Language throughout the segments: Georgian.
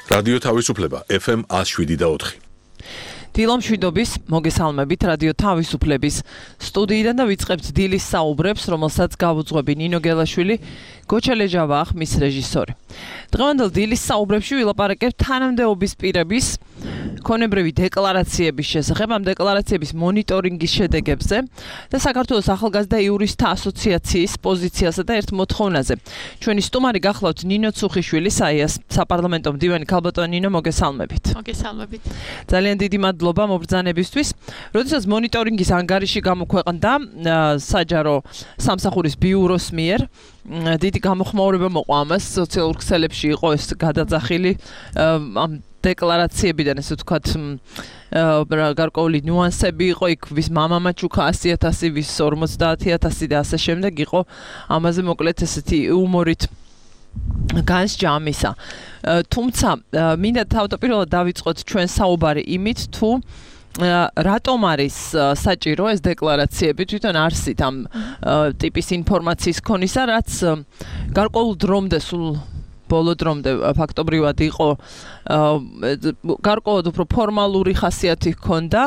რადიო თავისუფლება FM 107.4. დილომშვიდობის მოგესალმებით რადიო თავისუფლების სტუდიიდან და ვიწყებთ დილის საუბრებს, რომელსაც გავუძღვები ნინო გელაშვილი, გოჩელეჯავა ახმის რეჟისორი. დღევანდელ დილის საუბრებში ვილაპარაკებთ თანამდებობის პირების ქონებრივი დეკლარაციების შესახებ, ამ დეკლარაციების მონიტორინგის შედეგებზე და საქართველოს ახალგაზრდა იურისტთა ასოციაციის პოზიციასა და ერთ მოთხოვნაზე. ჩვენი სტუმარი გახლავთ ნინო ცუხიშვილი, საპარლამენტო მდივანი. ქალბატონო ნინო, მოგესალმებით. მოგესალმებით. ძალიან დიდი მადლობა მობრძანებისთვის. როდესაც მონიტორინგის ანგარიში გამოქვეყნდა საჯარო სამსახურის ბიუროს მიერ, დიდი გამოხმაურება მოყვა ამას, სოციალურ ქსელებში იყო ეს გადაძახილი ამ დეკლარაციებიდან, ესე ვთქვათ, გარკვეული ნიუანსები იყო, იქ ვის მამამაჩუქა 100,000, ვის 50,000 და ასე შემდეგ იყო ამაზე მოკლედ ესეთი იუმორით განსჯა ამისა. თუმცა მინდა თავდაპირველად დავიწყოთ ჩვენ საუბარი იმით, თუ რატომ არის საჭირო ეს დეკლარაციები, თვითონ არსით ამ ტიპის ინფორმაციის ქონისა, რაც გარკვეულ დრომდე, სულ ბოლო დრომდე ფაქტობრივად იყო გარკვეულად უფრო ფორმალური ხასიათი ჰქონდა.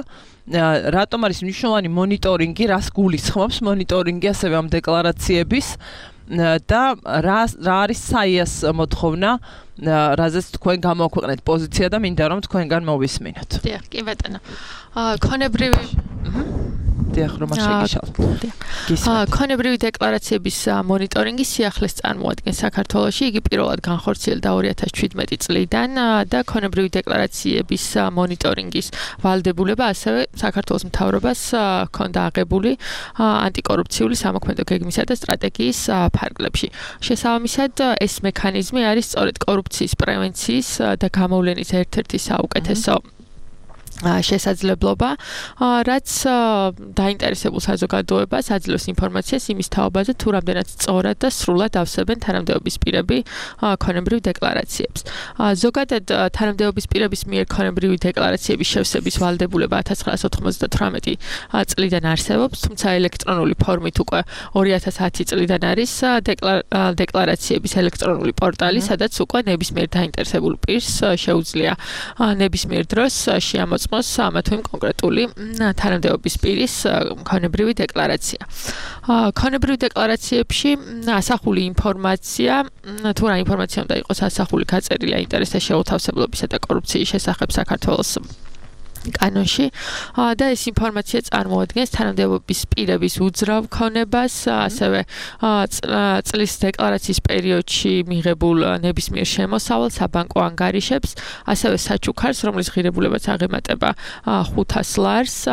რატომ არის მნიშვნელოვანი მონიტორინგი, რას გულისხმობს მონიტორინგი ასევე ამ დეკლარაციების და რა არის საიას მოთხოვნა, რაზეც თქვენ გამოაქვეყნეთ პოზიცია და მინდა რომ თქვენგან მოვისმინოთ. დიახ, კი ბატონო. ქონებრივი ქონებრივი დეკლარაციების მონიტორინგი სიახლეს წარმოადგენს საქართველოში. იგი პირველად განხორციელდა 2017 წლიდან და ქონებრივი დეკლარაციების მონიტორინგის ვალდებულება ასევე საქართველოს მთავრობას ჰქონდა აღებული ანტიკორუფციული სამოქმედო გეგმისა და სტრატეგიის ფარგლებში. შესაბამისად, ეს მექანიზმი არის სწორედ კორუფციის პრევენციის და გამოვლენის ერთ-ერთი საუკეთესო შესაძლებლობა, რაც დაინტერესებულ საზოგადოებას აძლევს ინფორმაციას იმის თაობაზე, თუ რამდენად სწორად და სრულად ავსებენ თანამდებობის პირები ქონებრივ დეკლარაციებს. ზოგადად თანამდებობის პირების მიერ ქონებრივი დეკლარაციების შევსების ვალდებულება 1998 წლიდან არსებობს, თუმცა ელექტრონული ფორმით უკვე 2010 წლიდან არის დეკლარაციების ელექტრონული პორტალი, სადაც უკვე ნებისმიერ დაინტერესებულ პირს შეუძლია ნებისმიერ დროს შეამოწმოს ამა თუ იმ კონკრეტული თანამდებობის პირის ქონებრივი დეკლარაცია. ქონებრივ დეკლარაციებში ასახული ინფორმაცია, თუ რა ინფორმაცია უნდა იყოს ასახული, გაწერილი აინტერესთა შეუთავსებლობისა და კორუფციის შესახებ საქართველოს კანონში და ეს ინფორმაცია წარმოადგენს თანამდებობის პირების უძრავ ქონებას, ასევე წლის დეკლარაციის პერიოდში მიღებულ ნებისმიერ შემოსავალს, საბანკო ანგარიშებს, ასევე საჩუქარს, რომლის ღირებულებაც აღემატება 500 ლარს.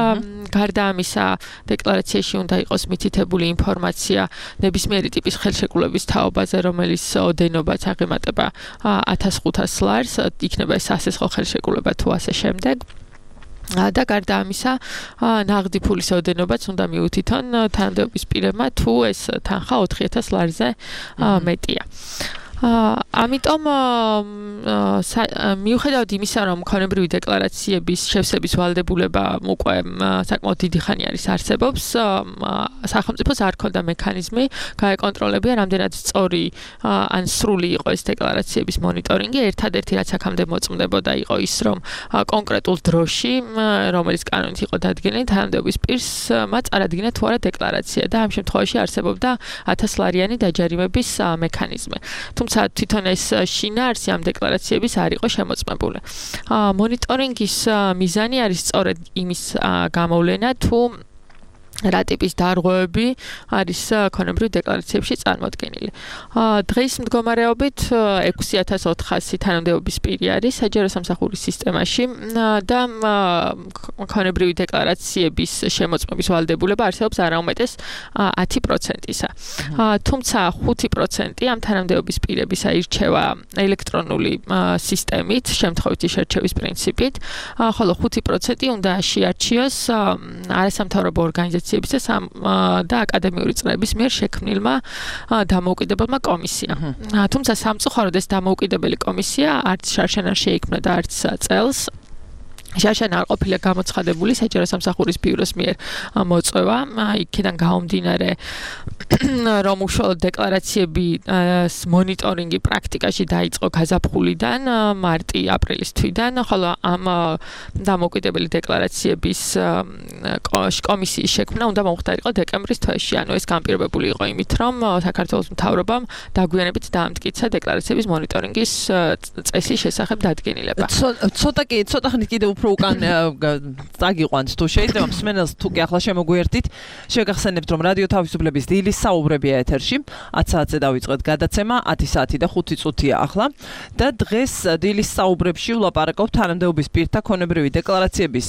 გარდა ამისა, დეკლარაციაში უნდა იყოს მითითებული ინფორმაცია ნებისმიერი ტიპის ხელშეკრულების თაობაზე, რომელიც ოდენობაც აღემატება 1500 ლარს, იქნება ეს სასესხო ხელშეკრულება თუ ასე შემდეგ. და გარდა ამისა, ნაღდი ფულის ოდენობაც უნდა მიუთითონ თანამდებობის პირებმა, თუ ეს თანხა 4,000 ლარზე მეტია. ამიტომ მიუხედავად იმისა, რომ ქონებრივი დეკლარაციების შევსების ვალდებულება უკვე საკმაოდ დიდი ხანი არის არსებობს, სახელმწიფოს არ ქონდა მექანიზმი გაეკონტროლებია, რამდენად სწორი ან სრული იყო ეს დეკლარაციების მონიტორინგი. ერთადერთი რაც აქამდე მოწმდებოდა იყო ის, რომ კონკრეტულ დროში, რომელიც კანონით იყო დადგენილი, თანამდებობის პირს წარადგინა თუ არა დეკლარაცია და ამ შემთხვევაში არსებობდა 1000 ლარიანი დაჯარიმების მექანიზმი. თუმცა თვითონ ეს შინაარსი ამ დეკლარაციების არ იყო შემოწმებული. მონიტორინგის მიზანი არის სწორედ იმის გამოვლენა, თუ რა ტიპის დარღვევები არის ქონებრივ დეკლარაციებში წარმოდგენილი. დღის მდგომარეობით 6,400 თანამდებობის პირი არის საჯარო სამსახურის სისტემაში და ქონებრივი დეკლარაციების შემოწმების ვალდებულება არსებობს არაუმეტეს 10%-ისა. თუმცა 5% ამ თანამდებობის პირებისა ირჩევა ელექტრონული სისტემით, შემთხვევითი შერჩევის პრინციპით, ხოლო 5% უნდა შეარჩიოს არასამთავრობო ორგანიზაციებისა და აკადემიური წრეების მიერ შექმნილმა დამოუკიდებელმა კომისიამ. თუმცა სამწუხაროდ ეს დამოუკიდებელი კომისია არც შარშან არ შეიქმნა და არც წელს შაშან არ ყოფილა გამოცხადებული საჯარო სამსახურის ბიუროს მიერ მოწვევა იქიდან გამომდინარე რომ უშუალოდ დეკლარაციები მონიტორინგი პრაქტიკაში დაიწყო გაზაფხულიდან მარტი-აპრილის თვიდან ხოლო ამ დამოუკიდებელი დეკლარაციების კომისიის შექმნა უნდა მომხდარიყო დეკემბრის თვეში ანუ ეს განპირობებული იყო იმით რომ საქართველოს მთავრობამ დაგვიანებით დაამტკიცა დეკლარაციების მონიტორინგის წესის შესახებ დადგენილება ცოტა ხნით კიდევ უფრო უკან წაგიყვანთ თუ შეიძლება მსმენელს თუ კი ახლა შემოგვიერთით შეგახსენებთ რომ რადიო თავისუფლების დილის საუბრებია ეთერში 10 საათზე დავიწყეთ გადაცემა 10 საათი და 5 წუთია ახლა და დღეს დილის საუბრებში ვლაპარაკობთ თანამდებობის პირთა ქონებრივი დეკლარაციების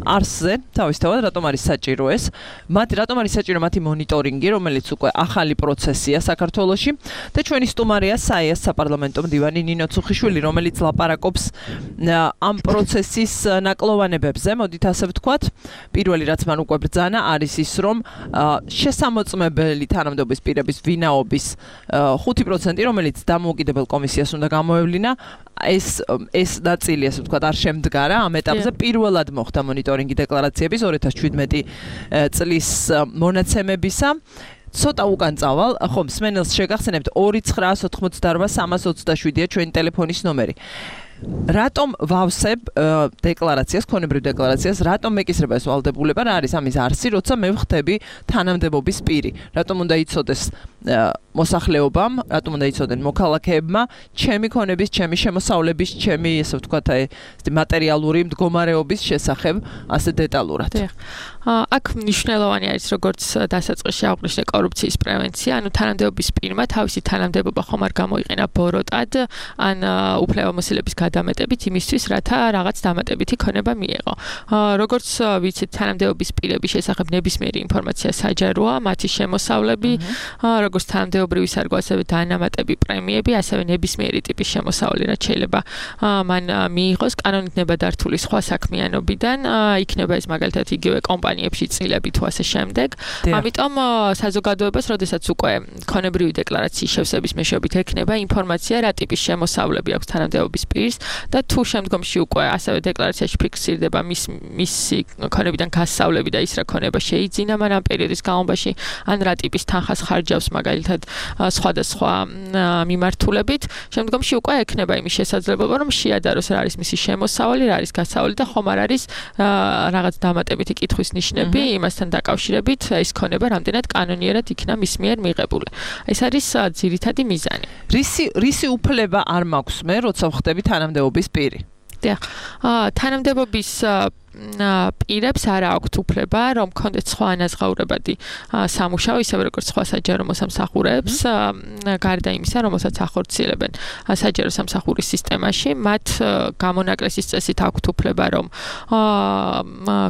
არსზე თავისთავად რატომ არის საჭირო ეს რატომ არის საჭირო მათი მონიტორინგი რომელიც უკვე ახალი პროცესია საქართველოში და ჩვენი სტუმარია საიას საპარლამენტო მდივანი ნინო ცუხიშვილი რომელიც ლაპარაკობს ამ პროცესის ნაკლოვანებებზე მოდით ასე ვთქვათ პირველი რაც მან უკვე ბრძანა არის ის რომ შესამოწმებელი თანამდებობის პირების ვინაობის 5% რომელიც დამოუკიდებელ კომისიას უნდა გამოევლინა ეს ნაწილი ასე ვთქვათ არ შემდგარა ამ ეტაპზე პირველად მოხდა მონიტორინგი დეკლარაციების 2017 წლის მონაცემებისა ცოტა უკან წავალ ხო მსმენელს შეგახსენებთ 2988327-ია ჩვენი ტელეფონის ნომერი რატომ ვავსებ დეკლარაციას, ქონებრივ დეკლარაციას, რატომ მეკისრება ეს ვალდებულება, რა არის ამის არსი, როცა მე ვხდები თანამდებობის პირი. რატომ უნდა იცოდეს მოსახლეობამ, რატომ უნდა იცოდნენ მოქალაქეებმა, ჩემი ქონების, ჩემი შემოსავლების, ჩემი, ესე ვთქვათ, მატერიალური მდგომარეობის შესახებ ასე დეტალურად. აქ მნიშვნელოვანი არის როგორც დასაწყისში აღვნიშნე კორუფციის პრევენცია, ანუ თანამდებობის პირმა თავისი თანამდებობა ხომ არ გამოიყენა ბოროტად, ან უფლებამოსილების გადამეტებით იმისთვის, რათა რაღაც დამატებითი ქონება მიეღო. როგორც ვიცით, თანამდებობის პირების შესახებ ნებისმიერი ინფორმაცია საჯაროა, მათი შემოსავლები, როგორც თანამდებობრივი სარგო, ასევე დანამატები პრემიები, ასევე ნებისმიერი ტიპის შემოსავალი, რაც შეიძლება მან მიიღოს კანონით ნებადართული სხვა საქმიანობიდან, იქნება ეს მაგალითად იგივე კომპანიებში წილები თუ ასე შემდეგ. ამიტომ საზოგადოებას, როდესაც უკვე ქონებრივი დეკლარაციის შევსების მეშვეობით ექნება ინფორმაცია, რა ტიპის შემოსავლები აქვს თანამდებობის პირს და თუ შემდგომში უკვე ასევე დეკლარაციაში ფიქსირდება მისი ქონებიდან გასავლები და ის რა ქონება შეიძინა მან ამ პერიოდის განმავლობაში, ან რა ტიპის თანხას ხარჯავს მაგალითად სხვადასხვა მიმართულებით, შემდგომში უკვე ექნება იმის შესაძლებლობა, რომ შეადაროს რა არის მისი შემოსავალი, რა არის გასავალი და ხომ არ არის რაღაც დამატებითი კითხვის ნიშნები იმასთან დაკავშირებით ეს ქონება რამდენად კანონიერად იქნა მის მიერ მიღებული. ეს არის ძირითადი მიზანი. რისი უფლება არ მაქვს მე, როცა ვხდები თანამდებობის პირი? თანამდებობის პირებს არ აქვთ უფლება, რომ კონდეთ სხვა ანაზღაურებადი სამუშაო, ისევე როგორც სხვა საჯარო მოსამსახურეებს, გარდა იმისა, რომელსაც ახორციელებენ საჯარო სამსახურის სისტემაში, მათ გამონაკლისის წესით აქვთ უფლება, რომ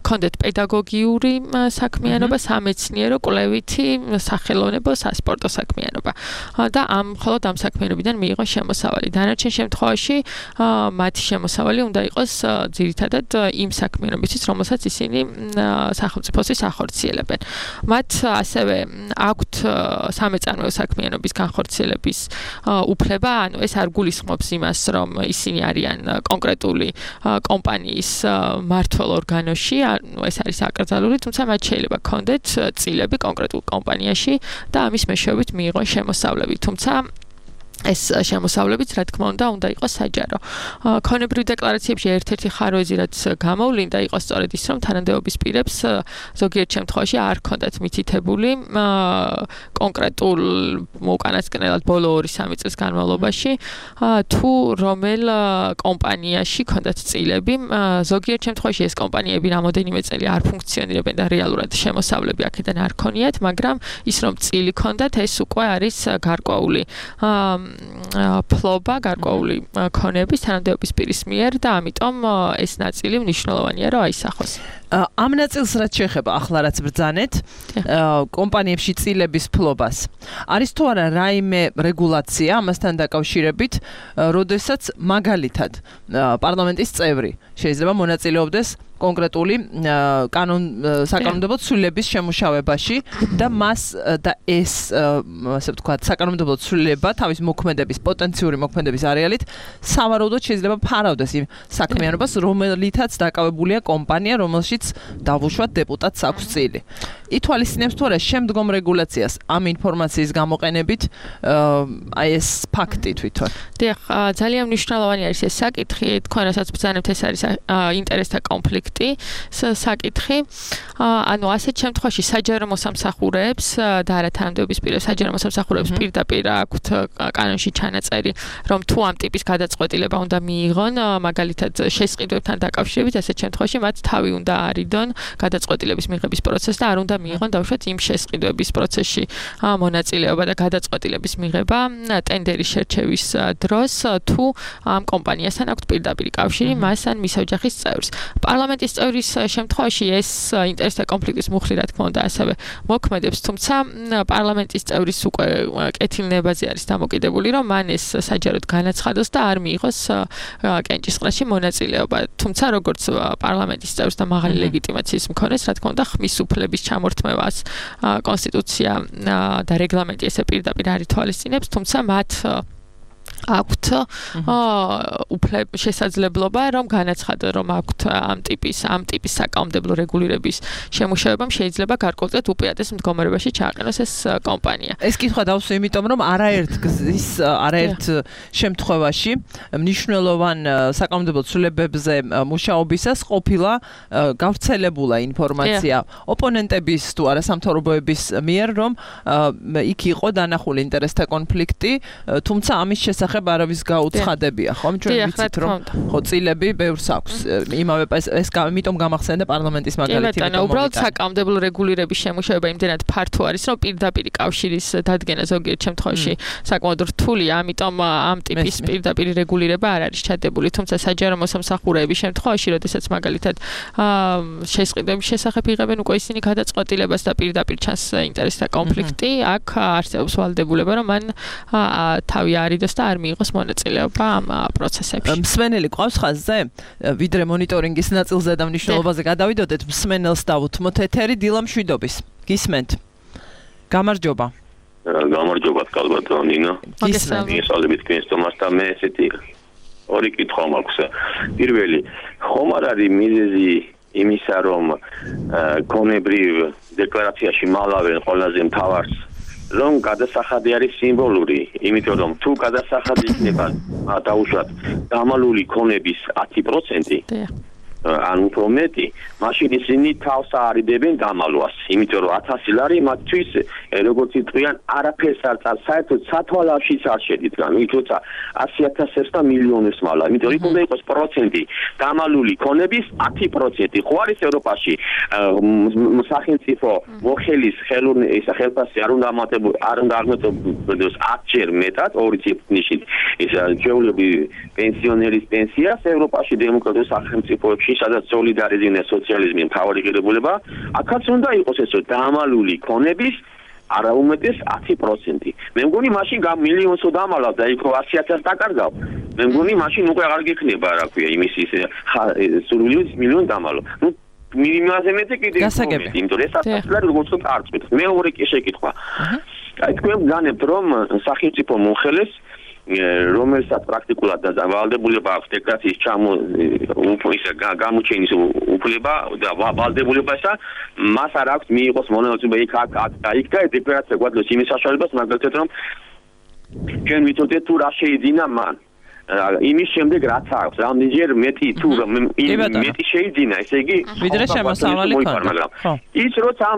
კონდეთ პედაგოგიური საქმიანობა, სამეცნიერო, კვლევითი, სახელოვნებო, სასპორტო საქმიანობა. და მხოლოდ ამ საქმიანობიდან მიიღო შემოსავალი. დანარჩენ შემთხვევაში მათი შემოსავალი უნდა იყოს ძირითადად იმ საქმიანობისთვის, რომელსაც ისინი სახელმწიფოსთვის ახორციელებენ. მათ ასევე აქვთ სამეწარმეო საქმიანობის განხორციელების უფლება, ანუ ეს არ გულისხმობს იმას, რომ ისინი არიან კონკრეტული კომპანიის მმართველ ორგანოში, ანუ ეს არის აკრძალული, თუმცა მათ შეიძლება ჰქონდეთ წილები კონკრეტულ კომპანიაში და ამის მეშვეობით მიიღონ შემოსავლები, თუმცა ეს შემოსავლებიც, რა თქმა უნდა იყოს საჯარო. ქონებრივ დეკლარაციებში ერთ-ერთი ხაროეზი, რაც გამოვლინდა, იყო სწორედ ის, რომ თანამდებობის პირებს ზოგიერთ შემთხვევაში არ ჰქონდათ მითითებული კონკრეტულ უკანასკნელად ბოლო 2-3 წლის განმავლობაში თუ რომელ კომპანიაში ჰქონდათ წილები. ზოგიერთ შემთხვევაში ეს კომპანიები რამოდენიმე წელი არ ფუნქციონირებენ და რეალურად შემოსავლები აქედან არ ქონიათ, მაგრამ ის რომ წილი ჰქონდათ, ეს უკვე არის გარკვეული ფლობა, გარკვეული ქონების თანამდებობის პირის მიერ და ამიტომ ეს ნაწილი მნიშვნელოვანია, რომ აისახოს. ამ ნაწილს რაც შეეხება ახლა რაც ბრძანეთ, კომპანიებში წილების ფლობას. არის თუ არა რაიმე რეგულაცია ამასთან დაკავშირებით, როდესაც მაგალითად პარლამენტის წევრი შეიძლება მონაწილეობდეს კონკრეტული საკანონმდებლო ცვლილების შემუშავებაში და მას და ეს ასე ვთქვათ საკანონმდებლო ცვლილება თავის მოქმედების პოტენციური მოქმედების არეალით სავარაუდოდ შეიძლება ფარავდეს იმ საქმიანობას, რომელითაც დაკავებულია კომპანია, რომელშიც დავუშვათ დეპუტატს აქვს წილი. ითვალისწინებს თუ არა შემდგომ რეგულაციას ამ ინფორმაციის გამოყენებით აი ეს ფაქტი თვითონ. დიახ, ძალიან მნიშვნელოვანი არის ეს საკითხი, თქვენ რასაც ბრძანებთ, ეს არის ინტერესთა კონფლიქტი, საკითხი. ანუ ასეთ შემთხვევაში საჯარო მოსამსახურეებს და არა თანამდებობის პირებს, საჯარო მოსამსახურეებს პირდაპირ აქვთ კანონში ჩანაწერი, რომ თუ ამ ტიპის გადაწყვეტილება უნდა მიიღონ, მაგალითად შესყიდვებთან დაკავშირებით, ასეთ შემთხვევაში მათ თავი უნდა არიდონ გადაწყვეტილების მიღების პროცესს და არ უნდა მიიღონ დავუშვათ იმ შესყიდვების პროცესში მონაწილეობა და გადაწყვეტილების მიღება ტენდერის შერჩევის დროს თუ ამ კომპანიასთან აქვს პირდაპირ კავშირი მას ან მის ოჯახის წევრს. პარლამენტის წევრის შემთხვევაში ეს ინტერესთა კონფლიქტის მუხლი რა თქმა უნდა ასევე მოქმედებს, თუმცა პარლამენტის წევრის უკვე კეთილნებაზე არის დამოკიდებული, რომ მან ეს საჯაროდ განაცხადოს და არ მიიღოს კენჭისყრაში მონაწილეობა. თუმცა როგორც პარლამენტის წევრს და მაღალი ლეგიტიმაციის მქონეს, რა თქმა უნდა, ხმის უფლების ჩამორთმევას კონსტიტუცია და რეგლამენტი ესე პირდაპირ არ ითვალისწინებს, თუმცა მათ აქვთ შესაძლებლობა რომ განაცხადონ რომ აქვთ ამ ტიპის საკანონმდებლო რეგულირების შემუშავებამ შეიძლება გარკვეულწილად უპირატეს მდგომარეობაში ჩააყენოს ეს კომპანია. ეს კითხვა დავსვი, იმიტომ რომ არაერთ შემთხვევაში მნიშვნელოვან საკანონმდებლო ცვლილებებზე მუშაობისას ყოფილა გავრცელებულა ინფორმაცია ოპონენტების თუ არა სამთავრობოების მიერ, რომ იქ იყო დანახული ინტერესთა კონფლიქტი, თუმცა ამის შესახებ არავის გაუცხადებია, ხომ? ჩვენ ვიცით რომ ხო წილები ბევრს აქვს. იმავე ეს ამიტომ გამახსენდა პარლამენტის მაგალითი. უბრალოდ საკანონმდებლო რეგულირების შემუშავება იმდენად ფართო არის, რომ პირდაპირ კავშირის დადგენა ზოგიერთ შემთხვევაში საკმაოდ რთულია, ამიტომ ამ ტიპის პირდაპირ რეგულირება არ არის ჩადებული, თუმცა საჯარო მოსამსახურეების შემთხვევაში, როდესაც მაგალითად შესყიდვების შესახებ იღებენ უკვე ისინი გადაწყვეტილებას და პირდაპირ ჩანს ინტერესთა კონფლიქტი, აქ არსებობს ვალდებულება, რომ მან თავი არიდოს და არ მიიღოს მონაწილეობა ამ პროცესებში. მსმენელი ყავს ხაზზე? ვიდრე მონიტორინგის ნაწილზე და მნიშვნელობაზე გადავიდოდეთ, მსმენელს დავუთმოთ ეთერი დილა მშვიდობის. გისმენთ? გამარჯობა. გამარჯობა, კალბატონო ნინო. მოგესალმებით თქვენს თომასთან, მე ესეთი ორი კითხვა მაქვს. პირველი, ხომ არ არის მიზეზი იმისა, რომ კონებრივ დეკლარაციაში მალავენ ყველაზე მთავარს რომ გადასახადი არის სიმბოლური, იმიტომ რომ თუ გადასახადი იქნება დაუშვათ დამალული ქონების 10%, ან უფრო მეტი, მაშინ ისინი თავს არიდებენ დამალვას, იმიტომ რომ 1000 ლარი მათთვის როგორც იტყვიან არაფერს არ წავს, საერთოდ სათვალავშიც არ შედიდგა, თუმცა 100,000-ს და მილიონებს მალა, იმიტომ რომ უნდა იყოს პროცენტი დამალული ქონების 10%. ხო არის ევროპაში სახელმწიფო მოხელის ხელფასი არ უნდა აღმოჩნდეს 10-ჯერ მეტად, ორი ციფრში ეს ჩვეულებრივი პენსიონერის პენსიას ევროპაში დემოკრატიულ სახელმწიფოებში სადაც სოლიდარიზმი და სოციალიზმი მთავარი ღირებულება, აქაც უნდა იყოს ეს დამალული ქონების არა უმეტეს 10%. მე მგონი მაშინ მილიონსო დამალავ და იქ 100,000-ს დაკარგავ. მე მგონი მაშინ უკვე აღარ გექნება რა ქვია იმის სურვილი მილიონი დამალო. ნუ მინიმაზე მეტი კიდე გასაგები. იმიტომ ეს ასლარი როგორც ვთქვათ არ წვით. მეორე შეკითხვა. აი თქვენ განებთ რომ სახელმწიფო მომხელეს რომელსაც პრაქტიკულად ვალდებულება აქვს დეკლარაციის გამოჩენის უფლება და ვალდებულებასა მას არ აქვს მიიღოს მონაწილეობა იქ და იქ და დეკლარაცია გვაძლევს იმის საშუალებას მაგალითად რომ ჩვენ ვიცოდეთ თუ რა შეიძინა მან იმის შემდეგ რაც აქვს რამდენჯერ მეტი თუ მეტი შეიძინა ესე იგი ვიდრე შემოსავალი ქონდა ის როცა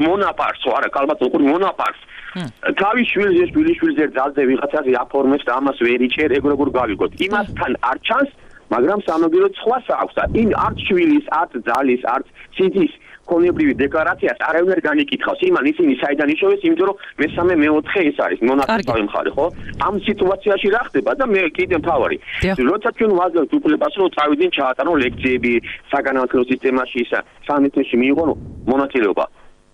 მონაპარს არა კალბატონო ყური მონაპარს თავის შვილიშვილზე ძალზე ვიღაცაზე აფორმებს და ამას ვერ იჭერ ეგ როგორ გავიგოთ იმასთან არ ჩანს მაგრამ სამაგიეროდ სხვას აქვს და იმ არც შვილის არც ძალის არც სიძის კონებრივი დეკლარაციას არავინ არ განიკითხავს იმან ისინი საიდან იშოვეს იმიტომ რომ მესამე მეოთხე ეს არის მონაწილე მხარე ხო ამ სიტუაციაში რა ხდება და მე კიდე მთავარი როცა ჩვენ ვაძლევთ უფლებას რომ წავიდნენ ჩაატარონ ლექციები საგანმანათლებლო სისტემაში ისა სამეთში მიიღონ მონაწილეობა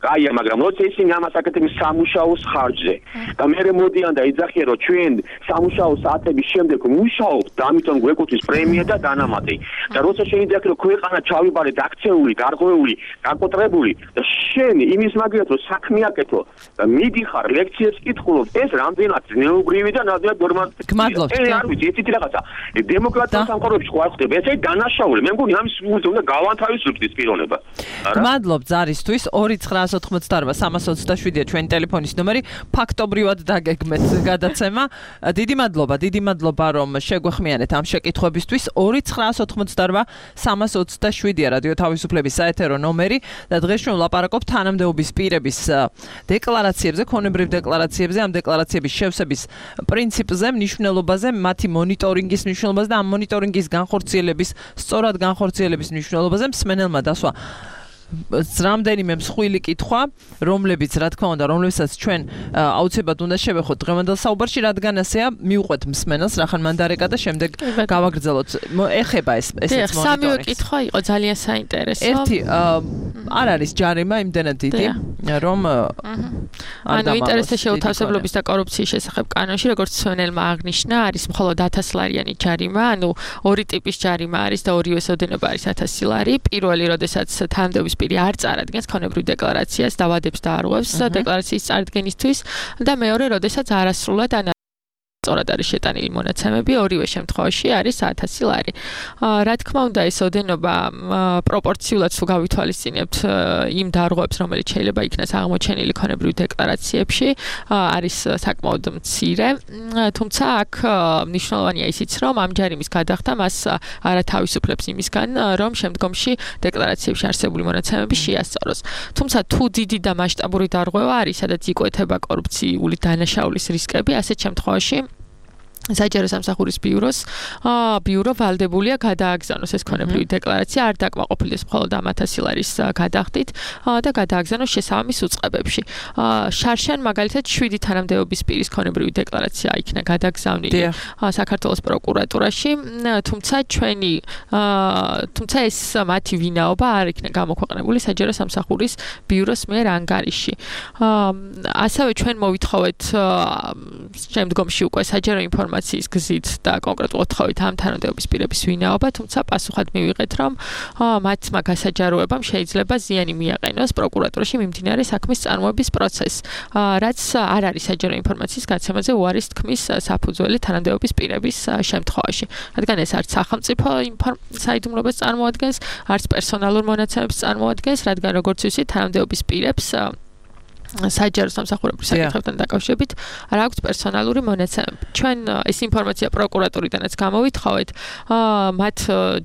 კაია, მაგრამ როცა ისინი ამას აკეთებენ სამუშაოს ხარჯზე და მე მოდიან და იძახიან რომ ჩვენ სამუშაო საათების შემდეგ მუშაობთ და ამიტომ გვეკუთვნის პრემია და დანამატი და როცა შეიძლება რომ ქვეყანა ჩავიბარეთ აქციული, გარღვეული, გაკოტრებული და შენ იმის მაგათ რომ საქმე აკეთო და მიდიხარ ლექციებს კითხულობ ეს რამდენად ზნეობრივი და რამდენად ნორმალური გმადლობთ არ ვიცი ესეთი რაღაცა დემოკრატიულ სამყაროებში ხო არ ხდება ესე დანაშაული მე მგონი ამის უნდა გავანთავისუფლდეს ის პიროვნება გმადლობთ ზარისთვის 2988327-ია ჩვენი ტელეფონის ნომერი ფაქტობრივად დაგეგმეთ გადაცემა დიდი მადლობა რომ შეგვეხმიანეთ ამ შეკითხვებისთვის 2988327-ია რადიო თავისუფლების საეთერო ნომერი და დღეს ჩვენ ვლაპარაკობთ თანამდებობის პირების დეკლარაციებზე, ქონებრივ დეკლარაციებზე, ამ დეკლარაციების შევსების პრინციპზე, მნიშვნელობაზე, მათი მონიტორინგის მნიშვნელობაზე და ამ მონიტორინგის განხორციელების, სწორად განხორციელების მნიშვნელობაზე მსმენელმა დასვა რამდენიმე მსხვილი კითხვა, რომლებიც რა თქმა უნდა, რომლებსაც ჩვენ აუცილებლად უნდა შევეხოთ დღევანდელ საუბარში, რადგან ასეა, მივყვეთ მსმენელს, რახან მან დარეკა და შემდეგ გავაგრძელოთ. ეხება ესეც მონიტორინგს. სამივე კითხვა იყო ძალიან საინტერესო. ერთი არ არის ჯარიმა იმდენად დიდი, რომ ანუ ინტერესთა შეუთავსებლობის და კორუფციის შესახებ კანონში, როგორც მსმენელმა აღნიშნა, არის მხოლოდ 1000 ლარიანი ჯარიმა, ანუ ორი ტიპის ჯარიმა არის და ორივეს ოდენობა არის 1000 ლარი. პირველი, როდესაც თანამდებობის პირი არ წარადგენს ქონებრივ დეკლარაციას, დავადებს და არღვევს დეკლარაციის წარდგენისთვის და მეორე, როდესაც არასრულად ან სწორად არის შეტანილი მონაცემები, ორივე შემთხვევაში არის 1000 ლარი. რა თქმა უნდა, ეს ოდენობა პროპორციულად თუ გავითვალისწინებთ იმ დარღვევებს, რომელიც შეიძლება იქნას აღმოჩენილი ქონებრივ დეკლარაციებში, არის საკმაოდ მცირე. თუმცა აქ მნიშვნელოვანია ისიც, რომ ამ ჯარიმის გადახდა მას არათავისუფლებს იმისგან, რომ შემდგომში დეკლარაციებში არსებული მონაცემები შეასწოროს. თუმცა თუ დიდი და მასშტაბური დარღვევა არის, სადაც იკვეთება კორუფციული დანაშაულის რისკები, ასეთ შემთხვევაში საჯარო სამსახურის ბიურო ვალდებულია გადააგზავნოს ეს ქონებრივი დეკლარაცია, არ დაკმაყოფილდეს მხოლოდ ამ 1000 ლარის გადახდით და გადააგზავნოს შესაბამის უწყებებში. შარშან მაგალითად 7 თანამდებობის პირის ქონებრივი დეკლარაცია იქნა გადაგზავნილი საქართველოს პროკურატურაში, თუმცა ეს მათი ვინაობა არ იქნა გამოქვეყნებული საჯარო სამსახურის ბიუროს მიერ ანგარიში. ასევე ჩვენ მოვითხოვეთ შემდგომში უკვე საჯარო ინფორმაციის გზით და კონკრეტულად თხოვით ამ თანამდებობის პირების ვინაობა, თუმცა პასუხად მივიღეთ, რომ მათმა გასაჯაროებამ შეიძლება ზიანი მიაყენოს პროკურატურაში მიმდინარე საქმის წარმოების პროცესს, რაც არ არის საჯარო ინფორმაციის გაცემაზე უარის თქმის საფუძველი თანამდებობის პირების შემთხვევაში. რადგან ეს არც სახელმწიფო საიდუმლოებას წარმოადგენს, არც პერსონალურ მონაცემებს წარმოადგენს, რადგან როგორც ვიცით, თანამდებობის პირებს საჯარო სამსახურების საკითხებთან დაკავშირებით არ აქვს პერსონალური მონაცემები. ჩვენ ეს ინფორმაცია პროკურატურიდანაც გამოვითხოვეთ, მათ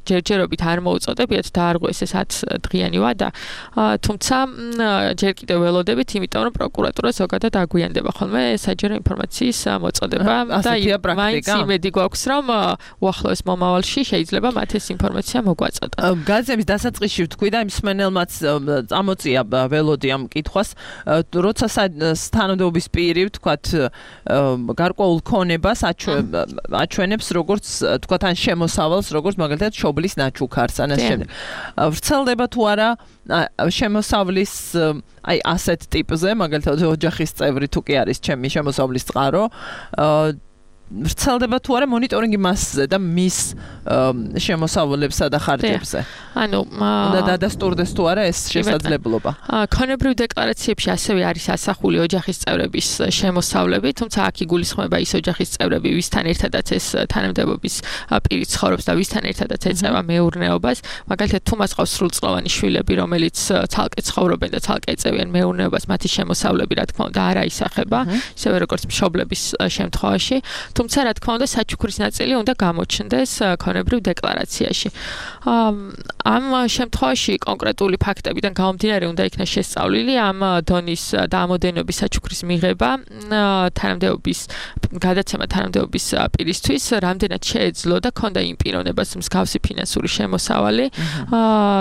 ჯერჯერობით არ მოუწოდებიათ დაარღვეს ეს 10 დღიანი ვადა, თუმცა ჯერ კიდევ ველოდებით, იმიტომ რომ პროკურატურა ზოგადად აგვიანდება ხოლმე საჯარო ინფორმაციის მოწოდება და მაინც იმედი გვაქვს, რომ უახლოეს მომავალში შეიძლება მათ ეს ინფორმაცია მოგვაწოდოთ. გაზების დასაწყისში ვთქვი და იმ მსმენელმაც წამოწია ველოდი ამ კითხვას, როცა თანამდებობის პირი, ვთქვათ, გარკვეულ ქონებას აჩვენებს, როგორც ვთქვათ, ან შემოსავალს, როგორც მაგალითად შობლის ნაჩუქარს, ან ასე შემდეგ. ვრცელდება თუ არა შემოსავლის აი ასეთ ტიპზე, მაგალითად ოჯახის წევრი თუ კი არის ჩემი შემოსავლის წყარო, ვრცელდება თუ არა მონიტორინგი მასზე და მის შემოსავალებსა და ხარჯებზე. ანუ უნდა დადასტურდეს თუ არა ეს შესაძლებლობა. ქონებრივ დეკლარაციებში ასევე არის ასახული ოჯახის წევრების შემოსავლები, თუმცა აქ იგულისხმება ის ოჯახის წევრები, ვისთან ერთადაც ეს თანამდებობის პირი ცხოვრობს და ვისთან ერთადაც ეწევა მეურნეობას. მაგალითად, თუ მას ყავს სრულწლოვანი შვილები, რომელიც ცალკე ცხოვრობენ და ცალკე ეწევიან მეურნეობას, მათი შემოსავლები, რა თქმა უნდა, არ აისახება, ისევე როგორც მშობლების შემთხვევაში. თუმცა რა თქმა უნდა საჩუქრის ნაწილი უნდა გამოჩნდეს ქონებრივ დეკლარაციაში. ამ შემთხვევაში კონკრეტული ფაქტებიდან გამომდინარე უნდა იქნას შესწავლილი ამ დონის და ამოდენობის საჩუქრის მიღება თანამდებობის გადაცემა თანამდებობის პირისთვის, რამდენად შეეძლო და ქონდა იმ პიროვნებას მსგავსი ფინანსური შემოსავალი,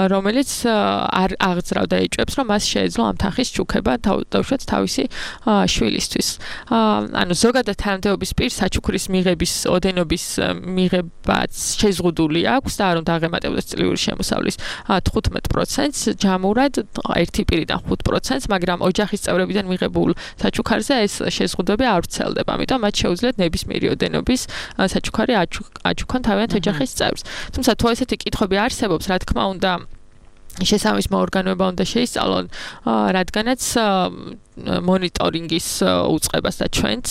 რომელიც არ აღძრავდა ეჭვებს, რომ მას შეეძლო ამ თანხის ჩუქება დაუშვათ თავისი შვილისთვის. ანუ ზოგადად თანამდებობის პირს საჩუქრის საჩუქრის მიღების ოდენობის მიღებაც შეზღუდული აქვს და არ უნდა აღემატებოდეს წლიური შემოსავლის 15%-ს ჯამურად 1 პირიდან 5%-ს, მაგრამ ოჯახის წევრებიდან მიღებულ საჩუქარზე ეს შეზღუდვები არ ვრცელდება. ამიტომ მათ შეუძლიათ ნებისმიერი ოდენობის საჩუქარი აჩუქონ თავიანთ ოჯახის წევრს. თუმცა თუ ესეთი კითხვები არსებობს, რა თქმა უნდა, შესაბამის მოორგანოება უნდა შეისწავლონ, რადგანაც მონიტორინგის უწყებას და ჩვენც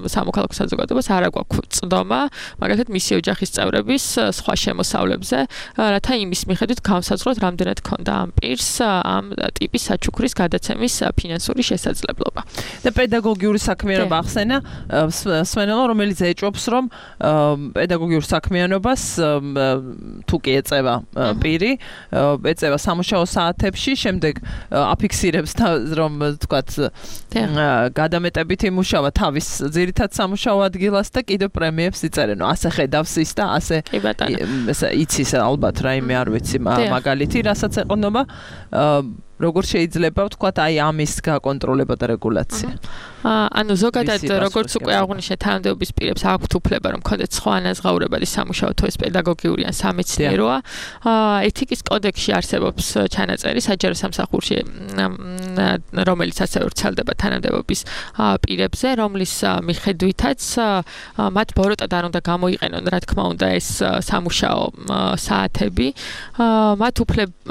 სამოქალაქო საზოგადოებას არ აქვს წდომა, მაგალითად მისი ოჯახის წევრების სხვა შემოსავლებზე, რათა იმის მიხედვით გავსაზღვროთ, რამდენად ქონდა ამ პირს ამ ტიპის საჩუქრის გადაცემის ფინანსური შესაძლებლობა. და პედაგოგიური საქმიანობა ახსენა სვენელო, რომელიც ეჭვობს, რომ პედაგოგიურ საქმიანობას თუ კი ეწევა პირი, ეწევა სამუშაო საათებში, შემდეგ აფიქსირებს რომ თქვათ გადამეტებით იმუშავა თავის ძირითად სამუშაო ადგილას და კიდევ პრემიებს იწერენ. ასე ხედავს ის და ასე იცის ალბათ რაიმე არ ვიცი მაგალითი, რასაც ეყნობა, როგორ შეიძლება ვთქვათ აი ამის გაკონტროლება და რეგულაცია. ანუ ზოგადად როგორც უკვე აღვნიშნეთ, თანამდებობის პირებს აქვთ უფლება რომ ქონდეთ სხვა ანაზღაურებადი სამუშაო თუ ეს პედაგოგიური ან სამეცნიეროა. ეთიკის კოდექსში არსებობს ჩანაწერი საჯარო სამსახურში, რომელიც ასევე ვრცელდება თანამდებობის პირებზე, რომლის მიხედვითაც მათ ბოროტად არ უნდა გამოიყენონ, რა თქმა უნდა, ეს სამუშაო საათები. მათ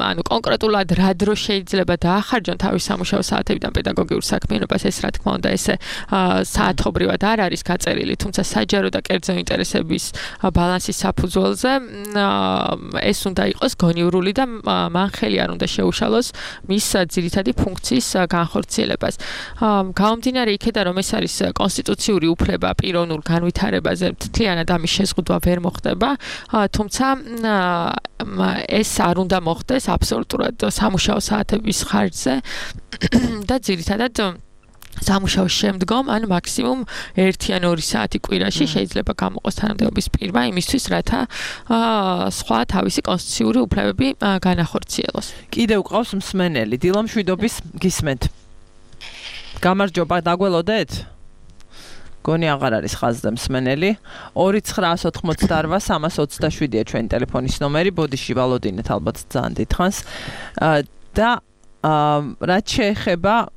ანუ კონკრეტულად რა დრო შეიძლება დაახარჯონ თავის სამუშაო საათებიდან პედაგოგიურ საქმიანობას, ეს რა თქმა უნდა ესე საათობრივად არ არის გაწერილი, თუმცა საჯარო და კერძო ინტერესების ბალანსის საფუძველზე ეს უნდა იყოს გონივრული და მან ხელი არ უნდა შეუშალოს მის ძირითადი ფუნქციის განხორციელებას. გამომდინარე იქედან, რომ ეს არის კონსტიტუციური უფლება პიროვნულ განვითარებაზე, მთლიანად ამის შეზღუდვა ვერ მოხდება, თუმცა ეს არ უნდა მოხდეს აბსოლუტურად სამუშაო საათების ხარჯზე და ძირითადად სამუშაოს შემდგომ ან მაქსიმუმ 1 ან 2 საათი კვირაში შეიძლება გამოყოს თანამდებობის პირმა იმისთვის, რათა სხვა თავისი კონსტიტუციური უფლებები განახორციელოს. კიდევ ყავს მსმენელი, დილამშვიდობის გისმენთ. გამარჯობა, დაგველოდეთ? გონი აღარ არის ხაზზე მსმენელი. 2988327-ია ჩვენი ტელეფონის ნომერი. ბოდიში ვალოდინეთ ალბათ ძალიან დიდხანს. და რაც შეეხება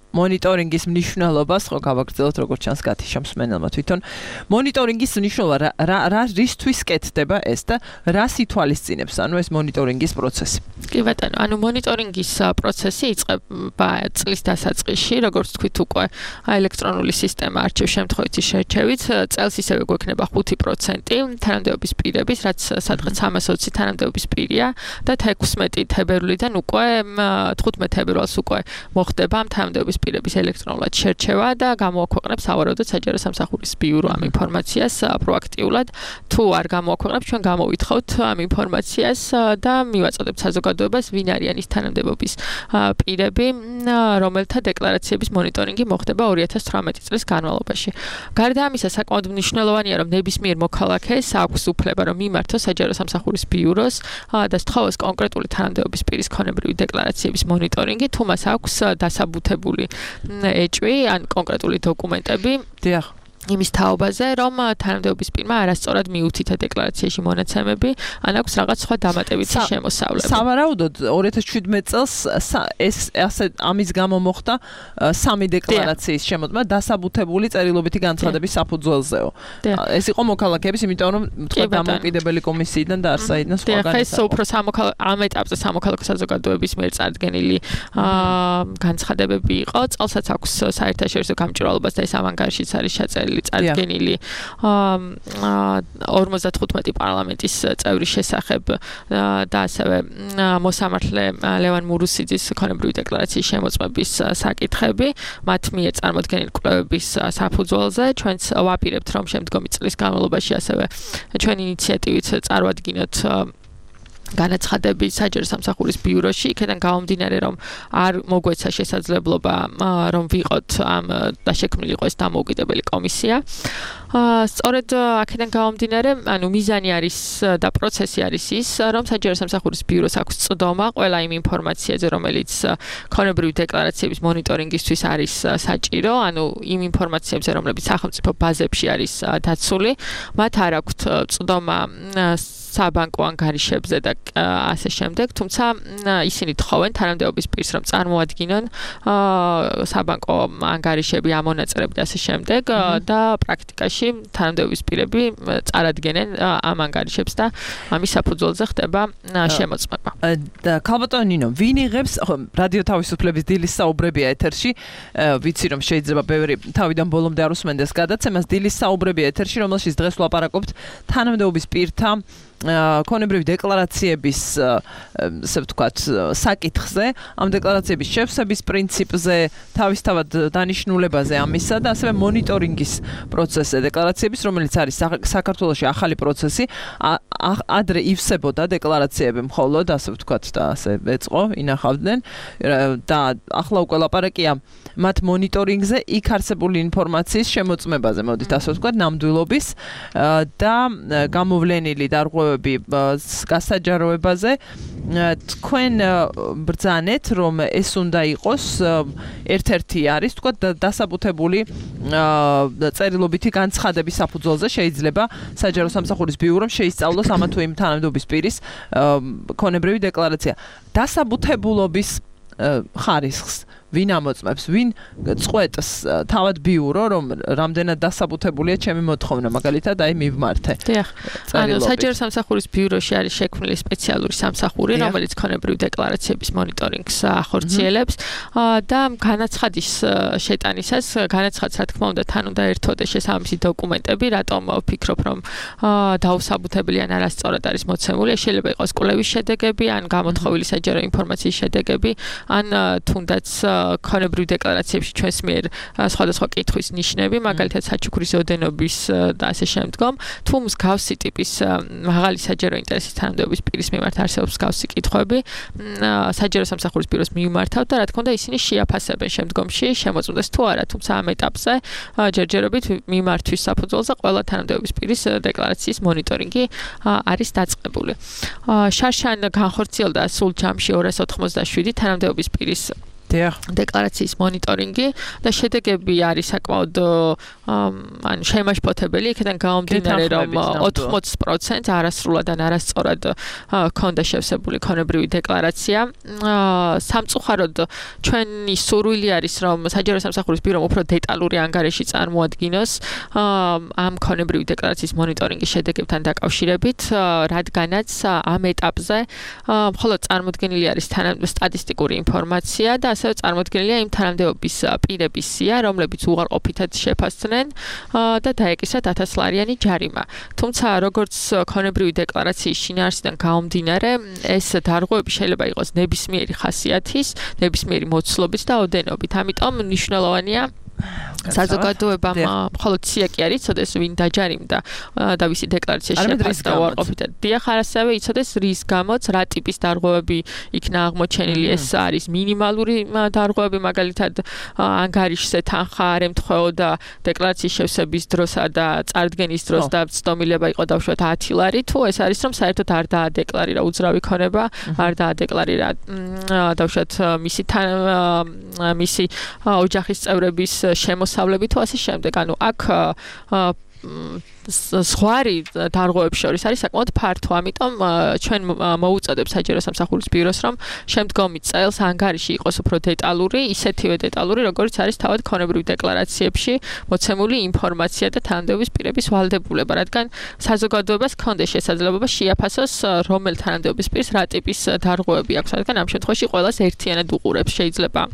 მონიტორინგის მნიშვნელობას, ხო გავაგრძელოთ როგორც ჩანს გათიშა მსმენელმა თვითონ. მონიტორინგის მნიშვნელობა რა რისთვის კეთდება ეს და რას ითვალისწინებს, ანუ ეს მონიტორინგის პროცესი? კი ბატონო, ანუ მონიტორინგის პროცესი იწყება წლის დასაწყისში, როგორც თქვით უკვე, ელექტრონული სისტემა არჩევ შემთხვევითი შერჩევით, წელს ისევე გვექნება 5% თანამდებობის პირების, რაც სადღაც 320 თანამდებობის პირია და 16 თებერვლიდან უკვე 15 თებერვალს უკვე მოხდება ამ თანამდებობის პირების ელექტრონულად შერჩევა და გამოაქვეყნებს სავარაუდოდ საჯარო სამსახურის ბიურო ამ ინფორმაციას პროაქტიულად. თუ არ გამოაქვეყნებს, ჩვენ გამოვითხოვთ ამ ინფორმაციას და მივაწოდებთ საზოგადოებას, ვინ არიან ის თანამდებობის პირები, რომელთა დეკლარაციების მონიტორინგი მოხდება 2018 წლის განმავლობაში. გარდა ამისა, საკმაოდ მნიშვნელოვანია, რომ ნებისმიერ მოქალაქეს აქვს უფლება, რომ მიმართოს საჯარო სამსახურის ბიუროს და სთხოვოს კონკრეტული თანამდებობის პირის ქონებრივი დეკლარაციების მონიტორინგი, თუ მას აქვს დასაბუთებული ეჭვი ან კონკრეტული დოკუმენტები. დიახ. იმის თაობაზე, რომ თანამდებობის პირმა არასწორად მიუთითა დეკლარაციაში მონაცემები, ან აქვს რაღაც სხვა დამატებითი შემოსავლები. სავარაუდოდ 2017 წელს ეს ასე ამის გამო მოხდა 3 დეკლარაციის შემოწმა დასაბუთებული წერილობითი განცხადების საფუძველზეო. ეს იყო მოქალაქეების, იმიტომ რომ თქვა დამოუკიდებელი კომისიიდან და არსაიდან სხვა განსაკუთრებით. ეს უფრო ამ ეტაპზე სამოქალაქო საზოგადოების მიერ წარდგენილი განცხადებები იყო. წელსაც აქვს საერთაშორისო გამჭვირვალობას და ეს ამ ანგარიშიც არის ჩაწერილი წარდგენილი 55 პარლამენტის წევრის შესახებ და ასევე მოსამართლე ლევან მურუსიძის ქონებრივი დეკლარაციის შემოწმების საკითხები, მათ მიერ წარმოდგენილი კვლევების საფუძველზე. ჩვენც ვაპირებთ, რომ შემდგომი წლის განმავლობაში ასევე ჩვენი ინიციატივით წარვადგინოთ განაცხადები საჯარო სამსახურის ბიუროში, იქიდან გამომდინარე, რომ არ მოგვეცა შესაძლებლობა რომ ვიყოთ ამ და შექმნილიყო ეს დამოუკიდებელი კომისია. სწორედ აქედან გამომდინარე, ანუ მიზანი არის და პროცესი არის ის, რომ საჯარო სამსახურის ბიუროს აქვს წვდომა ყველა იმ ინფორმაციაზე, რომელიც ქონებრივი დეკლარაციების მონიტორინგისთვის არის საჭირო, ანუ იმ ინფორმაციებზე, რომლებიც სახელმწიფო ბაზებში არის დაცული, მათ არ აქვთ წვდომა საბანკო ანგარიშებზე და ასე შემდეგ, თუმცა ისინი თხოვენ თანამდებობის პირს, რომ წარმოადგინონ საბანკო ანგარიშები, ამონაწილეები და ასე შემდეგ და პრაქტიკაში თანამდებობის პირები წარადგენენ ამ ანგარიშებს და ამის საფუძველზე ხდება შემოწმება. და ქალბატონო ნინო, ვინ იღებს რადიო თავისუფლების დილის საუბრებია ეთერში, ვიცი რომ შეიძლება ბევრი თავიდან ბოლომდე არ უსმენდეს გადაცემას, დილის საუბრებია ეთერში, რომელშიც დღეს ვლაპარაკობთ თანამდებობის პირთა ქონებრივი დეკლარაციების ასე ვთქვათ საკითხზე, ამ დეკლარაციების შევსების პრინციპზე, თავისთავად დანიშნულებაზე ამისა და ასევე მონიტორინგის პროცესზე დეკლარაციების, რომელიც არის საქართველოში ახალი პროცესი, ადრე ივსებოდა დეკლარაციები მხოლოდ, ასე ვთქვათ და ასე ეწყო, ინახავდნენ და ახლა უკვე ლაპარაკია მათ მონიტორინგზე, იქ არსებული ინფორმაციის შემოწმებაზე, მოდით ასე ვთქვათ, ნამდვილობის და გამოვლენილი დარღვევები გასაჯაროებაზე. თქვენ ბრძანეთ, რომ ეს უნდა იყოს ერთ-ერთი არის, ვთქვათ, დასაბუთებული წერილობითი განცხადების საფუძველზე შეიძლება საჯარო სამსახურის ბიურომ შეისწავლოს ამა თუ იმ თანამდებობის პირის ქონებრივი დეკლარაცია. დასაბუთებულობის ხარისხს ვინ ამოწმებს, ვინ წყვეტს თავად ბიურო, რომ რამდენად დასაბუთებულია ჩემი მოთხოვნა, მაგალითად, აი მივმართე. დიახ. ანუ საჯარო სამსახურის ბიუროში არის შექმნილი სპეციალური სამსახური, რომელიც ქონებრივი დეკლარაციების მონიტორინგს ახორციელებს და განაცხადის შეტანისას, განაცხადს რა თქმა უნდა თან უნდა ერთოდეს შესაბამისი დოკუმენტები, რატომ ვფიქრობ, რომ დაუსაბუთებელი ან არასწორად არის მოცემული, შეიძლება იყოს კვლევის შედეგები, ან გამოთხოვილი საჯარო ინფორმაციის შედეგები, ან თუნდაც ქონებრივი დეკლარაციებში ჩვენს მიერ სხვადასხვა კითხვის ნიშნები, მაგალითად საჩუქრის ოდენობის და ასე შემდგომ, თუ მსგავსი ტიპის მაღალი საჯარო ინტერესის თანამდებობის პირის მიმართ არსებობს მსგავსი კითხვები, საჯარო სამსახურის ბიუროს მიმართავთ და რა თქმა უნდა ისინი შეაფასებენ შემდგომში შემოწმდეს თუ არა, თუმცა ამ ეტაპზე ჯერჯერობით მიმართვის საფუძველზე ყველა თანამდებობის პირის დეკლარაციის მონიტორინგი არის დაწყებული. შარშან განხორციელდა სულ ჯამში 287 თანამდებობის პირის დეკლარაციის მონიტორინგი და შედეგები არის საკმაოდ ანუ შემაშფოთებელი, იქიდან გამომდინარე, რომ 80% არასრულად ან არასწორად ქონდა შევსებული ქონებრივი დეკლარაცია. სამწუხაროდ ჩვენი სურვილი არის, რომ საჯარო სამსახურის ბიურომ უფრო დეტალური ანგარიში წარმოადგინოს ამ ქონებრივი დეკლარაციის მონიტორინგის შედეგებთან დაკავშირებით, რადგანაც ამ ეტაპზე მხოლოდ წარმოდგენილი არის სტატისტიკური ინფორმაცია და ასევე წარმოდგენილია იმ თანამდებობის პირების სია, რომლებიც უარყოფითად შეფასდნენ და დაეკისრათ 1000 ლარიანი ჯარიმა. თუმცა, როგორც ქონებრივი დეკლარაციის შინაარსიდან გამომდინარე, ეს დარღვევები შეიძლება იყოს ნებისმიერი ხასიათის, ნებისმიერი მოცულობით და ოდენობით. ამიტომ მნიშვნელოვანია საზოგადოებამ მხოლოდ სია კი არ იცოდეს, ვინ დაჯარიმდა და ვისი დეკლარაცია შეფასდა უარყოფითად. დიახ, ასევე იცოდეს რის გამოც, რა ტიპის დარღვევები იქნა აღმოჩენილი, ეს არის მინიმალური დარღვევები, მაგალითად ანგარიშზე თანხა არ ემთხვეოდა დეკლარაციის შევსების დროსა და წარდგენის დროს და ცდომილება იყო დაუშვათ 10 ლარი, თუ ეს არის რომ საერთოდ არ დაადეკლარირა უძრავი ქონება, არ დაადეკლარირა დაუშვათ მისი ოჯახის წევრების შემოსავლები თუ ასე შემდეგ. ანუ აქ ზღვარი დარღვევებს შორის არის საკმაოდ ფართო, ამიტომ ჩვენ მოუწოდებს საჯარო სამსახურის ბიუროს, რომ შემდგომი წელს ანგარიში იყოს უფრო დეტალური, ისეთივე დეტალური, როგორც არის თავად ქონებრივ დეკლარაციებში მოცემული ინფორმაცია და თანამდებობის პირების ვალდებულება, რადგან საზოგადოებას ჰქონდეს შესაძლებლობა შეაფასოს, რომელ თანამდებობის პირს რა ტიპის დარღვევები აქვს, რადგან ამ შემთხვევაში ყველას ერთიანად უყურებს, შეიძლება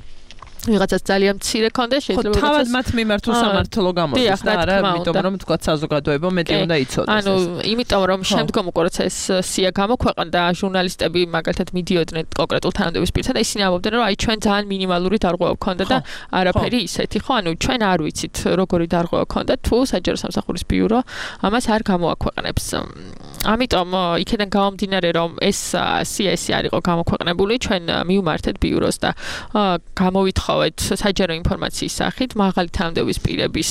ვიღაცას ძალიან მცირე კონდეს, შეიძლება თავად მათ მიმართ უსამართლო გამოდის და არა, იმიტომ რომ თქვა საზოგადოება მეტი უნდა იცოდეს. ანუ იმიტომ რომ შემდგომ უკვე როცა ეს სია გამოქვეყნდა, ჟურნალისტები მაგალითად მიდიოდნენ კონკრეტულ თანამდებობის პირთან და ისინი ამბობდნენ, რომ აი ჩვენ ძალიან მინიმალური დარღვევა გქონდა და არაფერი ისეთი, ხო, ანუ ჩვენ არ ვიცით როგორი დარღვევა გქონდა, თუ საჯარო სამსახურის ბიურო ამას არ გამოაქვეყნებს. ამიტომ იქიდან გამომდინარე, რომ ეს სიესი არ იყო გამოქვეყნებული, ჩვენ მივმართეთ ბიუროს და გამოვითხოვეთ საჯარო ინფორმაციის სახით მაღალი თანამდებობის პირების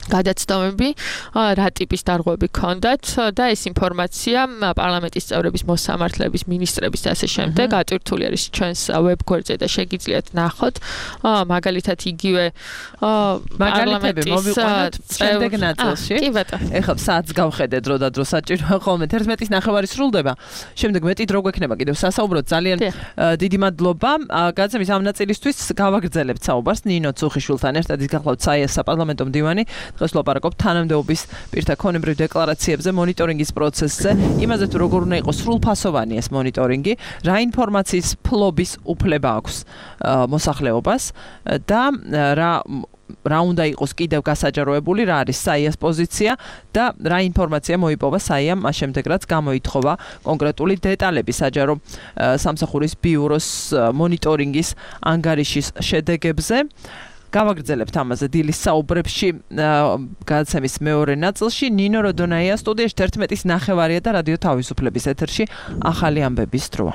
გადაცდომები, რა ტიპის დარღვევები ჰქონდათ და ეს ინფორმაცია პარლამენტის წევრების, მოსამართლეების, მინისტრების და ასე შემდეგ ატვირთული არის ჩვენს ვებგვერდზე და შეგიძლიათ ნახოთ. მაგალითად იგივე მაგალითები მოვიყვანოთ შემდეგ ნაწილში. კი ბატონო. ეხლა საათს გავხედეთ დრო და დრო საჭიროა ხოლმე 11:09 სრულდება. შემდეგ მეტი დრო გვექნება კიდევ სასაუბროთ. ძალიან დიდი მადლობა. გადაცემის ამ ნაწილისთვის გავაგრძელებთ საუბარს ნინო ცუხიშვილთან ერთად. ის გახლავთ საიას საპარლამენტო მდივანი. დღეს ვლაპარაკობთ თანამდებობის პირთა ქონებრივ დეკლარაციებზე, მონიტორინგის პროცესზე, იმაზე თუ როგორ უნდა იყოს სრულფასოვანი ეს მონიტორინგი, რა ინფორმაციის ფლობის უფლება აქვს მოსახლეობას და რა უნდა იყოს კიდევ გასაჯაროებული, რა არის საიას პოზიცია და რა ინფორმაცია მოიპოვა საიამ მას შემდეგ რაც გამოითხოვა კონკრეტული დეტალები საჯარო სამსახურის ბიუროს მონიტორინგის ანგარიშის შედეგებზე. გავაგრძელებთ ამაზე დილის საუბრებში გადაცემის მეორე ნაწილში. ნინო როდონაია სტუდიაში 11:09 და რადიო თავისუფლების ეთერში ახალი ამბების დროა.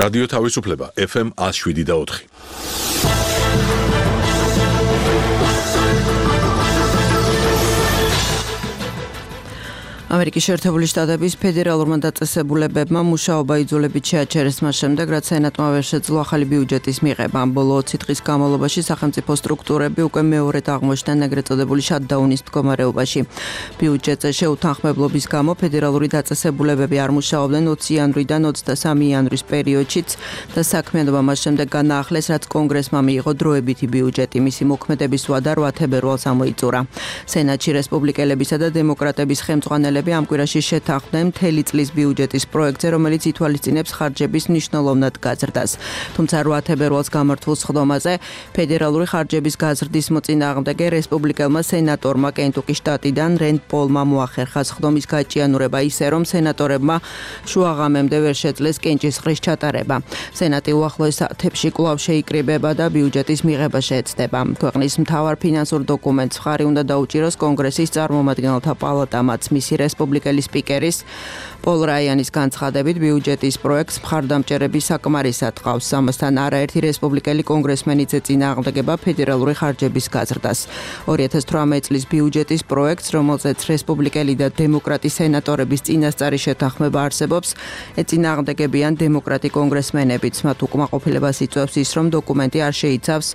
რადიო თავისუფლება FM 107.4. ამერიკის შეერთებული შტატების ფედერალურმა დაწესებულებებმა მუშაობა იძულებით შეაჩერეს მას შემდეგ, რაც სენატმა ვერ შეძლო ახალი ბიუჯეტის მიღება. ბოლო 20 დღის განმავლობაში სახელმწიფო სტრუქტურები უკვე მეორედ აღმოჩნდნენ ეგრეთ წოდებული შატდაუნის მდგომარეობაში. ბიუჯეტზე შეუთანხმებლობის გამო ფედერალური დაწესებულებები არ მუშაობდნენ 20 იანვრიდან 23 იანვრის პერიოდშიც და საქმიანობა მას შემდეგ განაახლეს, რაც კონგრესმა მიიღო დროებითი ბიუჯეტი. მისი მოქმედების ვადა 8 თებერვალს ამოიწურა. სენატში რესპუბლიკელებისა და დემოკრატების ხელმძღვანელები ამ კვირაში შეთანხმდნენ მთელი წლის ბიუჯეტის პროექტზე, რომელიც ითვალისწინებს ხარჯების მნიშვნელოვნად გაზრდას. თუმცა 8 თებერვალს გამართულ სხდომაზე ფედერალური ხარჯების გაზრდის მოწინააღმდეგე რესპუბლიკელმა სენატორმა კენტუკის შტატიდან რენდ პოლმა მოახერხა სხდომის გაჭიანურება ისე, რომ სენატორებმა შუაღამემდე ვერ შეძლეს კენჭისყრის ჩატარება. სენატი უახლოეს საათებში კვლავ შეიკრიბება და ბიუჯეტის მიღება შეეცდება. ქვეყნის მთავარ ფინანსურ დოკუმენტს მხარი უნდა დაუჭიროს კონგრესის წარმომადგენელთა პალატამაც. მისი რესპუბლიკელი სპიკერის პოლ რაიანის განცხადებით ბიუჯეტის პროექტს მხარდამჭერები საკმარისად ყავს. ამასთან არაერთი რესპუბლიკელი კონგრესმენიც ეწინააღმდეგება ფედერალური ხარჯების გაზრდას. 2018 წლის ბიუჯეტის პროექტს, რომელზეც რესპუბლიკელი და დემოკრატი სენატორების წინასწარი შეთანხმება არსებობს, ეწინააღმდეგებიან დემოკრატი კონგრესმენებიც. მათ უკმაყოფილებას იწვევს ის, რომ დოკუმენტი არ შეიცავს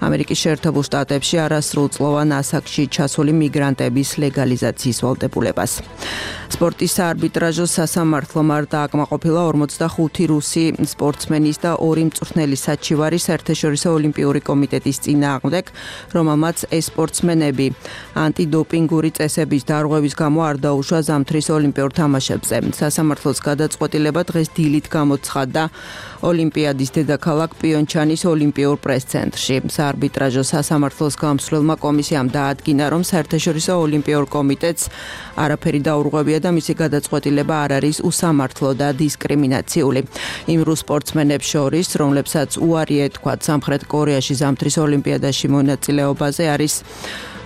ამერიკის შეერთებულ შტატებში არასრულწლოვან ასაკში ჩასული მიგრანტების ლეგალიზაციის ვალდებულებას. სპორტის საარბიტრაჟო სასამართლომ არ დააკმაყოფილა 45 რუსი სპორტსმენის და 2 მწვრთნელის საჩივარი საერთაშორისო ოლიმპიური კომიტეტის წინააღმდეგ, რომელმაც ეს სპორტსმენები ანტიდოპინგური წესების დარღვევის გამო არ დაუშვა ზამთრის ოლიმპიურ თამაშებზე. სასამართლოს გადაწყვეტილება დღეს დილით გამოცხადდა ოლიმპიადის დედაქალაქ პიონჩანის ოლიმპიურ პრეს-ცენტრში. საარბიტრაჟო სასამართლოს გამსვლელმა კომისიამ დაადგინა, რომ საერთაშორისო ოლიმპიურ კომიტეტს არაფერი დაურღვევია და მისი გადაწყვეტილება არ არის უსამართლო და დისკრიმინაციული. იმ რუს სპორტსმენებს შორის, რომლებსაც უარი ეთქვათ სამხრეთ კორეაში ზამთრის ოლიმპიადაში მონაწილეობაზე, არის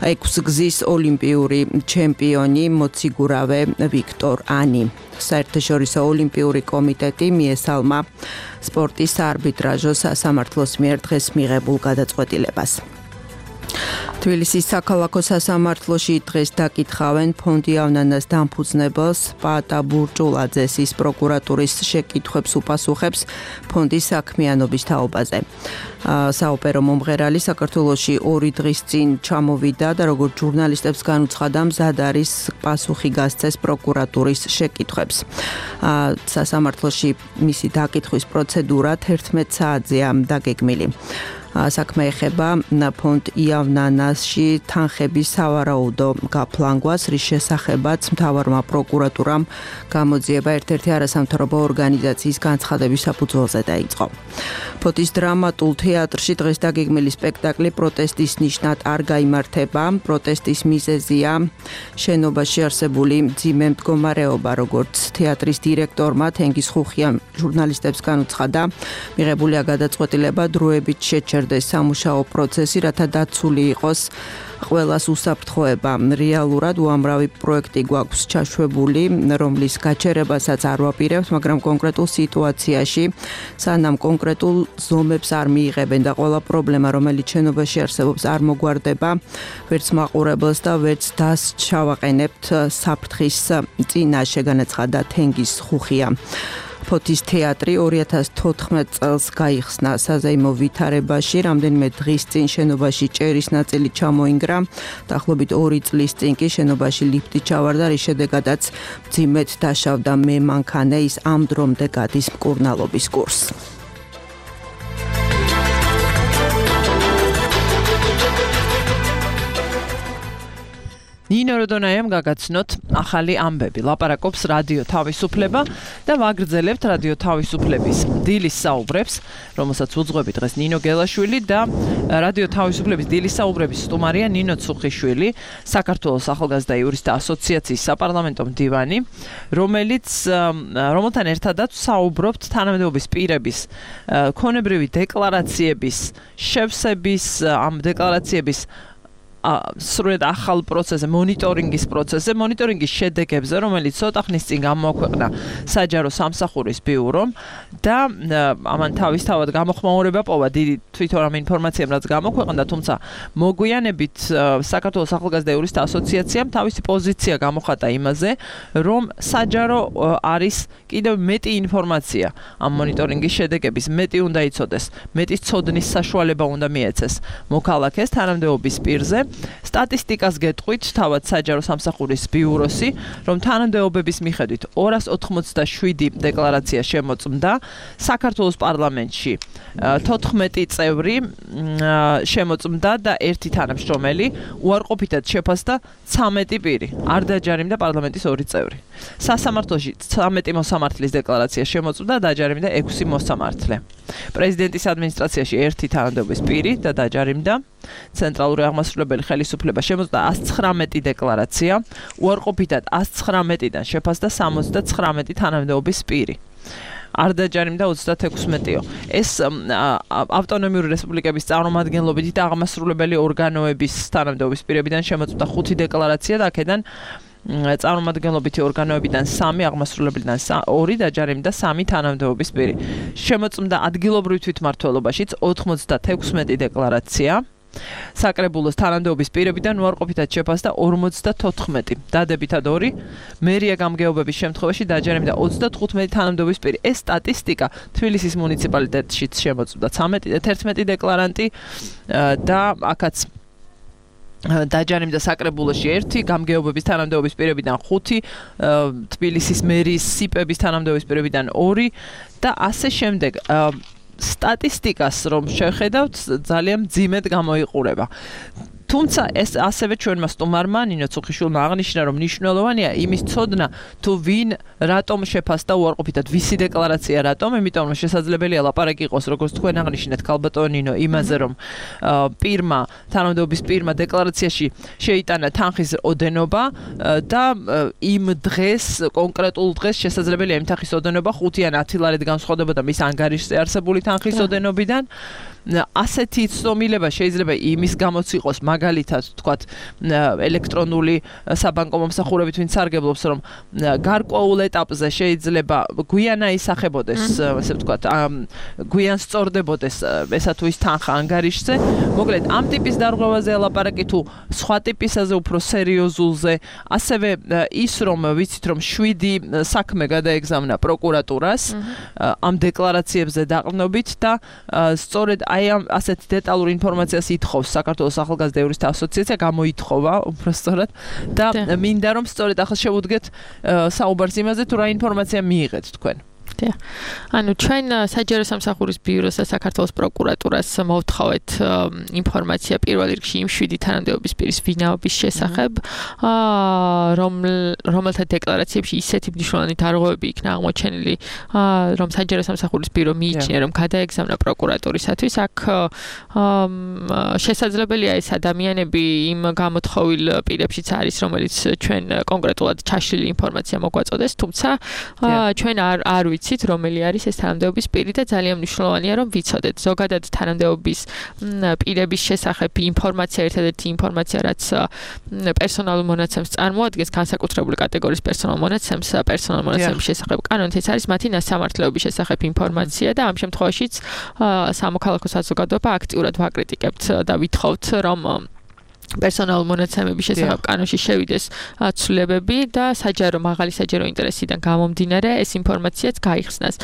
6 გზის ოლიმპიური ჩემპიონი მოციგურავე ვიქტორანი. საერთაშორისო ოლიმპიური კომიტეტი მიესალმა სპორტის საარბიტრაჟო სასამართლოს მიერ დღეს მიღებულ გადაწყვეტილებას. თბილისის საქალაქო სასამართლოში დღეს დაკითხავენ ფონდი ავნანას დამფუძნებელს პაატა ბურჭულაძეს. ის პროკურატურის შეკითხვებს უპასუხებს ფონდის საქმიანობის თაობაზე. საოპერო მომღერალი საქართველოში 2 დღის წინ ჩამოვიდა და როგორც ჟურნალისტებს განუცხადა, მზად არის პასუხი გასცეს პროკურატურის შეკითხვებს. სასამართლოში მისი დაკითხვის პროცედურა 11 საათზეა დაგეგმილი. საქმე ეხება ფონდ იავნანასში თანხების სავარაუდო გაფლანგვას, რის შესახებაც მთავარმა პროკურატურამ გამოძიება ერთ-ერთი არასამთავრობო ორგანიზაციის განცხადების საფუძველზე დაიწყო. ფოთის დრამატულ თეატრში დღეს დაგეგმილი სპექტაკლი პროტესტის ნიშნად არ გაიმართება. პროტესტის მიზეზია შენობაში არსებული მძიმე მდგომარეობა, როგორც თეატრის დირექტორმა თენგიზ ხუხიამ ჟურნალისტებს განუცხადა, მიღებულია გადაწყვეტილება დროებით შეჩერს აღწერდეს სამუშაო პროცესი, რათა დაცული იყოს ყველას უსაფრთხოება. რეალურად უამრავი პროექტი გვაქვს ჩაშვებული, რომლის გაჩერებასაც არ ვაპირებთ, მაგრამ კონკრეტულ სიტუაციაში სანამ კონკრეტულ ზომებს არ მიიღებენ და ყველა პრობლემა, რომელიც შენობაში არსებობს, არ მოგვარდება, ვერც მაყურებელს და ვერც დას ჩავაყენებთ საფრთხის წინაშე, განაცხადა თენგის ხუხია. ფოთის თეატრი 2014 წელს გაიხსნა საზეიმო ვითარებაში, რამდენიმე დღის წინ შენობაში ჭერის ნაწილი ჩამოინგრა, დაახლოებით 2 წლის წინ კი შენობაში ლიფტი ჩავარდა, რის შედეგადაც მძიმედ დაშავდა მე მანქანე, ის ამ დრომდე გადის მკურნალობის კურსს. ნინო როდონაიამ გაგაცნოთ ახალი ამბები. ლაპარაკობს რადიო თავისუფლება და ვაგრძელებთ რადიო თავისუფლების დილის საუბრებს, რომელსაც უძღვები დღეს ნინო გელაშვილი და რადიო თავისუფლების დილის საუბრების სტუმარია ნინო ცუხიშვილი, საქართველოს ახალგაზრდა იურისტთა ასოციაციის საპარლამენტო მდივანი, რომელთან ერთადაც საუბრობთ თანამდებობის პირების ქონებრივი დეკლარაციების შევსების, ამ დეკლარაციების სრულად ახალ პროცესზე, მონიტორინგის პროცესზე, მონიტორინგის შედეგებზე, რომელიც ცოტა ხნის წინ გამოაქვეყნა საჯარო სამსახურის ბიურომ და ამან თავისთავად გამოხმაურება პოვა დიდი თვითონ ამ ინფორმაციამ, რაც გამოქვეყნდა, თუმცა მოგვიანებით საქართველოს ახალგაზრდა იურისტთა ასოციაციამ თავისი პოზიცია გამოხატა იმაზე, რომ საჯარო არის კიდევ მეტი ინფორმაცია ამ მონიტორინგის შედეგების, მეტი უნდა იცოდეს, მეტი ცოდნის საშუალება უნდა მიეცეს მოქალაქეს თანამდებობის პირზე. სტატისტიკას გეტყვით თავად საჯარო სამსახურის ბიუროსი, რომ თანამდებობების მიხედვით 287 დეკლარაცია შემოწმდა, საქართველოს პარლამენტში 14 წევრი შემოწმდა და ერთი თანამშრომელი, უარყოფითად შეფასდა 13 პირი, არ დაჯარიმდა პარლამენტის 2 წევრი. სასამართლოში 13 მოსამართლის დეკლარაცია შემოწმდა, დაჯარიმდა 6 მოსამართლე. პრეზიდენტის ადმინისტრაციაში ერთი თანამდებობის პირი და დაჯარიმდა. ცენტრალური აღმასრულებელი ხელისუფლება შემოწმდა 119 დეკლარაცია, უარყოფითად 119-დან შეფასდა 79 თანამდებობის პირი. არ დაჯარიმდა 36-ო. ეს ავტონომიური რესპუბლიკების წარმომადგენლობითი და აღმასრულებელი ორგანოების თანამდებობის პირებიდან შემოწმდა 5 დეკლარაცია და აქედან წარმომადგენლობითი ორგანოებიდან 3, აღმასრულებლიდან 2 დაჯარიმდა 3 თანამდებობის პირი. შემოწმდა ადგილობრივ თვითმმართველობაშიც 96 დეკლარაცია. საკრებულოს თანამდებობის პირებიდან უარყოფითად შეფასდა 54, დადებითად 2, მერია გამგეობების შემთხვევაში დაჯარიმდა 35 თანამდებობის პირი. ეს სტატისტიკა თბილისის მუნიციპალიტეტშიც შემოწმდა 11 დეკლარანტი და აქაც დაჯარიმდა საკრებულოში 1, გამგეობების თანამდებობის პირებიდან 5, თბილისის მერიის სიპების თანამდებობის პირებიდან 2 და ასე შემდეგ. სტატისტიკას რომ შევხედავთ, ძალიან მძიმედ გამოიყურება. თუმცა ეს ასევე ჩვენმა სტუმარმა ნინო ცუხიშვილმა აღნიშნა, რომ მნიშვნელოვანია იმის ცოდნა, თუ ვინ რატომ შეფასდა უარყოფითად, ვისი დეკლარაცია რატომ, იმიტომ რომ შესაძლებელია ლაპარაკი იყოს, როგორც თქვენ აღნიშნეთ, ქალბატონო ნინო, იმაზე, რომ თანამდებობის პირმა დეკლარაციაში შეიტანა თანხის ოდენობა და იმ დღეს, კონკრეტულ დღეს შესაძლებელია იმ თანხის ოდენობა 5 ან 10 ლარით განსხვავდებოდა მის ანგარიშზე არსებული თანხის ოდენობიდან. ასეთი ცდომილება შეიძლება იმის გამოც იყოს, მაგალითად, თქვათ, ელექტრონული საბანკო მომსახურებით ვინც სარგებლობს, რომ გარკვეულ ეტაპზე შეიძლება გვიან აისახებოდეს, ასე ვთქვათ, გვიან სწორდებოდეს ესა თუ ის თანხა ანგარიშზე. მოკლედ, ამ ტიპის დარღვევაზე ლაპარაკი თუ სხვა ტიპისაზე უფრო სერიოზულზე, ასევე ის რომ ვიცით, რომ 7 საქმე გადაეგზავნა პროკურატურას ამ დეკლარაციებზე დაყრდნობით და სწორედ აი ამ ასეთ დეტალურ ინფორმაციას ითხოვს საქართველოს ახალგაზრდა იურისტთა ასოციაცია, გამოითხოვა უბრალოდ და მინდა რომ სწორედ ახლა შევუდგეთ საუბარს იმაზე თუ რა ინფორმაცია მიიღეთ თქვენ. ანუ ჩვენ საჯარო სამსახურის ბიუროს და საქართველოს პროკურატურას მოვთხოვეთ ინფორმაცია პირველ რიგში იმ 7 თანამდებობის პირის ვინაობის შესახებ, რომელთა დეკლარაციებში ისეთი მნიშვნელოვანი დარღვევები იქნა აღმოჩენილი, რომ საჯარო სამსახურის ბიურო მიიჩნია, რომ გადაეგზავნა პროკურატურისათვის. აქ შესაძლებელია ეს ადამიანები იმ გამოთხოვილ პირებშიც არის, რომელიც ჩვენ კონკრეტულად ჩაშლილი ინფორმაცია მოგვაწოდეს, თუმცა ჩვენ არ ვიცით, რომელი არის ეს თანამდებობის პირი და ძალიან მნიშვნელოვანია, რომ ვიცოდეთ. ზოგადად თანამდებობის პირების შესახებ ინფორმაცია, ერთადერთი ინფორმაცია, რაც პერსონალურ მონაცემს წარმოადგენს, განსაკუთრებული კატეგორიის პერსონალურ მონაცემის შესახებ კანონით ეს არის მათი ნასამართლეობის შესახებ ინფორმაცია და ამ შემთხვევაშიც სამოქალაქო საზოგადოება აქტიურად ვაკრიტიკებთ და ვითხოვთ, რომ პერსონალურ მონაცემების შესახებ კანონში შევიდეს ცვლილებები და მაღალი საჯარო ინტერესიდან გამომდინარე ეს ინფორმაციაც გაიხსნას.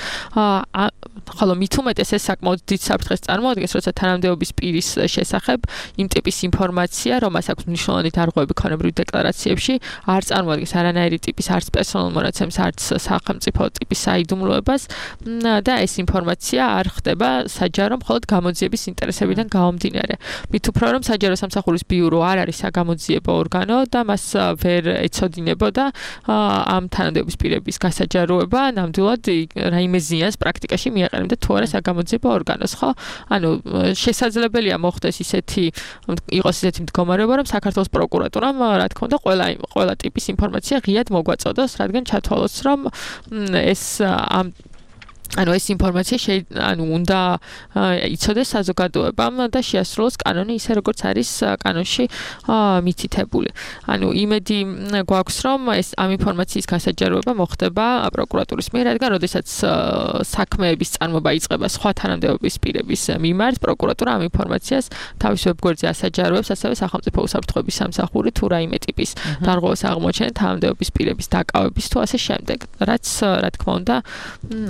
ხოლო მით უმეტეს ეს საკმაოდ დიდ საფრთხეს წარმოადგენს, როცა თანამდებობის პირის შესახებ იმ ტიპის ინფორმაცია, რომელსაც აქვს მნიშვნელოვანი დარღვევები ქონებრივ დეკლარაციებში, არ წარმოადგენს არანაირი ტიპის არც პერსონალურ მონაცემს, არც სახელმწიფო ტიპის საიდუმლოებას და ეს ინფორმაცია არ ხდება საჯარო მხოლოდ გამოძიების ინტერესებიდან გამომდინარე. მით უფრო რომ საჯარო სამსახურის ბიურო არ არის საგამოძიებო ორგანო და მას ვერ ეცოდინებოდა ამ თანამდებობის პირების გასაჯაროება, ნამდვილად რაიმე ზიანს პრაქტიკაში მიაყენებდა თუ არა საგამოძიებო ორგანოს, ხო? ანუ შესაძლებელია მოხდეს იყოს ისეთი მდგომარეობა, რომ საქართველოს პროკურატურამ, რა თქმა უნდა, ყველა ტიპის ინფორმაცია ღიად მოგვაწოდოს, რადგან ჩათვალოს, რომ ეს ეს ინფორმაცია უნდა იცოდეს საზოგადოებამ და შეასრულოს კანონი ისე როგორც არის კანონში მითითებული. იმედი გვაქვს, რომ ეს ამ ინფორმაციის გასაჯაროება მოხდება პროკურატურის მიერ, რადგან როდესაც საქმეების წარმოება იწყება სხვა თანამდებობის პირების მიმართ, პროკურატურა ამ ინფორმაციას თავის ვებგვერდზე ასაჯაროებს, ასევე სახელმწიფო უსაფრთხოების სამსახური თუ რაიმე ტიპის დარღვევას აღმოჩენენ თანამდებობის პირების დაკავების თუ ასე შემდეგ. რაც რა თქმა უნდა,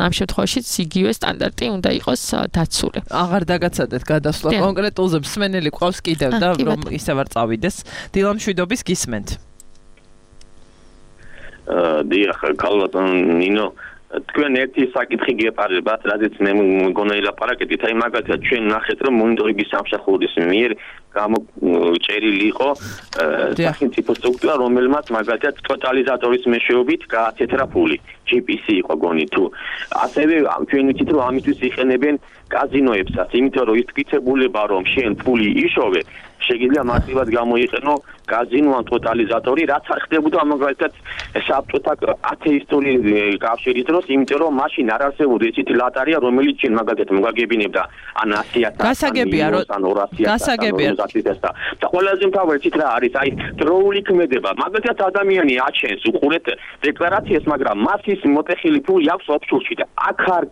ამ შემთხვევაში იგივე სტანდარტი უნდა იყოს დაცული. აღარ დაგაცადეთ გადასვლა კონკრეტულზე მსმენელი ყავს კიდევ და რომ ისევ არ წავიდეს. დილა მშვიდობის გისმენთ. დიახ, ქალბატონ ნინო, თქვენ ერთი საკითხი გეპარებათ, რადგან მე მგონია ილაპარაკეთ, აი მაგალითად ჩვენ ნახეთ, რომ მონიტორინგის სამსახურის მიერ გამოწერილი იყო სახელმწიფო სტრუქტურა, რომელმაც მაგალითად ტოტალიზატორის მეშვეობით გააცეთრა ფული. GPC იყო გონი თუ. ასევე ჩვენ ვიცით, რომ ამისთვის იყენებენ კაზინოებსაც, იმიტომ რომ ის თვითებულება რომ შენ ფული იშოვე, შეიძლება მასივად გამოიყენო კაზინო ან ტოტალიზატორი, რაც არ ხდებოდა მაგალითად საბჭოთა ათეისტური კავშირის დროს, იმიტომ რომ მაშინ არ არსებობდა ისეთი ლატარია, რომელიც შენ მაგალითად მოგაგებინებდა ან 100,000 გასაგებია რომ და ყველაზე მთავარი ცით რა არის, აი დროული ქმედება. მაგალითად ადამიანი აჩენს უყურეთ დეკლარაციას, მაგრამ მას ის მოტეხილი ფული აქვს ოფშორში და აქ არ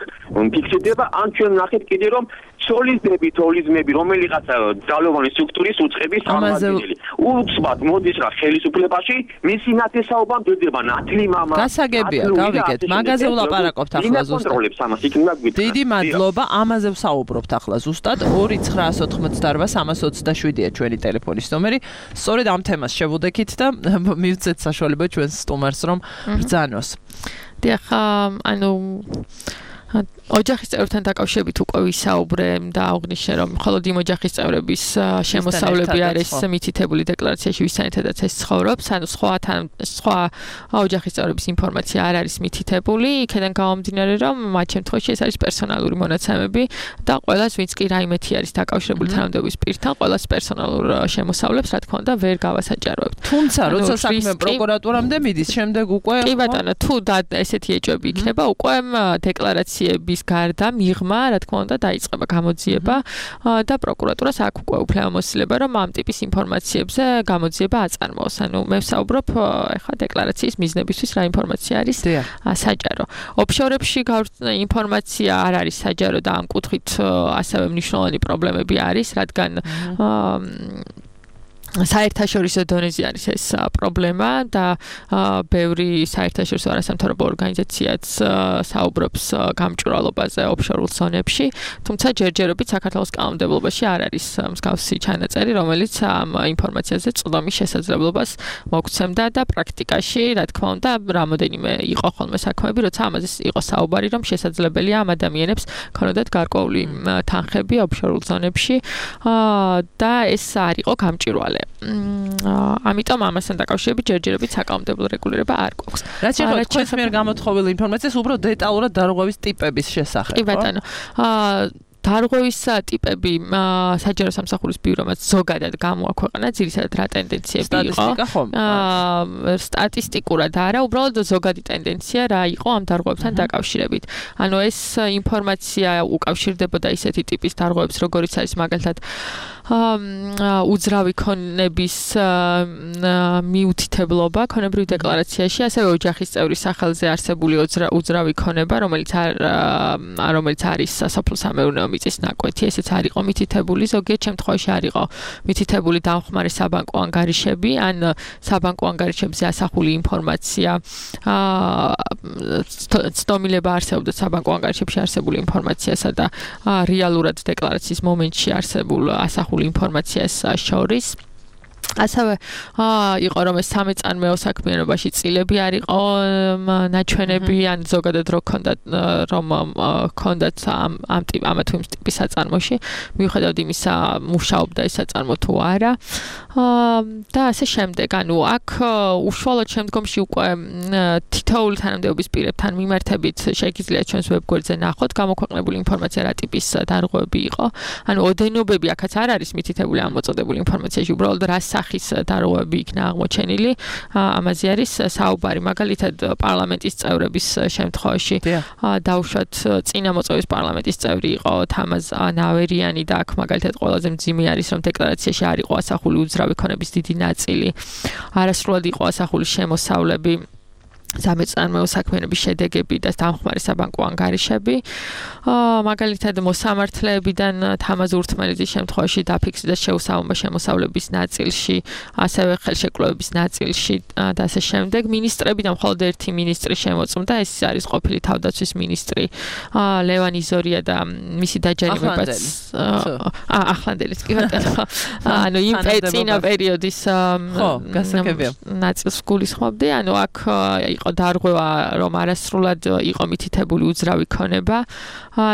ფიქსირდება, ან ჩვენ ნახეთ კიდე რომ სოლიზმები, რომელიღაც ძალოვანი სტრუქტურის უწყების სამართლებელი. უცბად მოდის რა ხელისუფლებაში, მისი ნათესაობა მდედება ნათლი მამა. გასაგებია, გავიგეთ. მაგაზე ვლაპარაკობთ ახლა ზუსტად. დიდი მადლობა, ამაზე ვსაუბრობთ ახლა ზუსტად. 2-988-327-ია ჩვენი ტელეფონის ნომერი. სწორედ ამ თემას შევუდექით და მივცეთ საშუალება ჩვენს სტუმარს რომ ბრძანოს. დიახ, ოჯახის წევრებთან დაკავშირებით უკვე ვისაუბრე და აღნიშნე, რომ მხოლოდ იმ ოჯახის წევრების შემოსავლები არის მითითებული დეკლარაციაში, ვისთანაც ეს ცხოვრობს, სხვა ოჯახის წევრების ინფორმაცია არ არის მითითებული, იქიდან გამომდინარე, რომ მათ შემთხვევაში ეს არის პერსონალური მონაცემები და ყველას, ვინც კი რაიმეთი არის დაკავშირებული თანამდებობის პირთან, ყველას პერსონალურ შემოსავლებს, რა თქმა უნდა, ვერ გავასაჯაროებთ. თუმცა, როცა საქმე პროკურატურამდე მიდის, შემდეგ უკვე კი ბატონო, თუ ესეთი ეჭვები იქნება, უკვე დეკლარაციების გარდა მიღმა, რა თქმა უნდა, დაიწყება გამოძიება და პროკურატურას აქვს უკვე უფლებამოსილება, რომ ამ ტიპის ინფორმაციებზე გამოძიება აწარმოოს. მე ვსაუბრობ ახლა დეკლარაციის მიზნებისთვის რა ინფორმაცია არის საჯარო. ოფშორებში ინფორმაცია არ არის საჯარო და ამ კუთხით ასევე მნიშვნელოვანი პრობლემები არის, რადგან საერთაშორისო დონეზე არის ეს პრობლემა და ბევრი საერთაშორისო არასამთავრობო ორგანიზაციაც საუბრობს გამჭვირვალობაზე ოფშორულ ზონებში, თუმცა ჯერჯერობით საქართველოს კანონმდებლობაში არ არის მსგავსი ჩანაწერი, რომელიც ამ ინფორმაციაზე წვდომის შესაძლებლობას მოგცემდა და პრაქტიკაში, რა თქმა უნდა, რამოდენიმე იყო ხოლმე საქმეები, როცა ამაზე იყო საუბარი, რომ შესაძლებელია ამ ადამიანებს ქონოდათ გარკვეული თანხები ოფშორულ ზონებში და ეს არ იყო გამჭვირვალე. ამიტომ ამასთან დაკავშირებით ჯერჯერობით საკანონმდებლო რეგულირება არ გვაქვს. რაც შეეხება თქვენს მიერ გამოთხოვილი ინფორმაციას, უბრალოდ დეტალურად დარღვევის ტიპების შესახებ. კი ბატონო. დარღვევის ტიპები საჯარო სამსახურის ბიურომაც ზოგადად გამოაქვეყნა, ძირითადად რა ტენდენციები იყო. სტატისტიკურად არა, უბრალოდ ზოგადი ტენდენცია რა იყო ამ დარღვევებთან დაკავშირებით. ანუ ეს ინფორმაცია უკავშირდებოდა ისეთი ტიპის დარღვევებს, როგორიც არის მაგალითად უძრავი ქონების მიუთითებლობა ქონებრივ დეკლარაციაში, ასევე ოჯახის წევრის სახელზე არსებული უძრავი ქონება, რომელიც არის სასოფლო-სამეურნეო მიწის ნაკვეთი, ესეც არ იყო მითითებული, ზოგიერთ შემთხვევაში არ იყო მითითებული დამხმარე საბანკო ანგარიშები, ან საბანკო ანგარიშებზე ასახული ინფორმაცია, ცდომილება არსებობდა საბანკო ანგარიშებში არსებული ინფორმაციასა და რეალურად დეკლარაციის მომენტში არსებულ ასახულ ინფორმაციას შორის. ასევე იყო რომ ეს სამეწარმეო საქმიანობაში წილები არ იყო ნაჩვენები ან ზოგადად რომ ქონდათ ამა თუ იმ ტიპის საწარმოში მიუხედავად იმისა მუშაობდა ეს საწარმო თუ არა და ასე შემდეგ ანუ აქ უშუალოდ შემდგომში უკვე თითოეული თანამდებობის პირებთან მიმართებით შეგიძლია ჩვენს ვებგვერდზე ნახოთ გამოქვეყნებული ინფორმაცია რა ტიპის დარღვევები იყო ანუ ოდენობები აქაც არ არის მითითებული ამ მოწოდებული ინფორმაციაში უბრალოდ რა სახის დარღვევები იქნა აღმოჩენილი ამაზე არის საუბარი მაგალითად პარლამენტის წევრების შემთხვევაში დაუშვათ წინა მოწვევის პარლამენტის წევრი იყო თამაზ ნავერიანი და აქ მაგალითად ყველაზე მძიმე არის რომ დეკლარაციაში არ იყო ასახული უძრავი ქონების დიდი ნაწილი არასრულად იყო ასახული შემოსავლები სამეწარმეო საქმიანობის შედეგები და დამხმარე საბანკო ანგარიშები მაგალითად მოსამართლეებიდან თამაზ ურთმელიძის შემთხვევაში დაფიქსირდა შეუსაბამო შემოსავლების ნაწილში ასევე ხელშეკრულების ნაწილში და ასე შემდეგ მინისტრებიდან მხოლოდ ერთი მინისტრი შემოწმდა ეს არის ყოფილი თავდაცვის მინისტრი ლევან იზორია და მისი დაჯერებებაც ახლანდელიც კი ბატონო ანუ იმ წინა პერიოდის ნაწილს გულისხმობდი ანუ აქ იყო დარღვევა რომ არასრულად იყო მითითებული უძრავი ქონება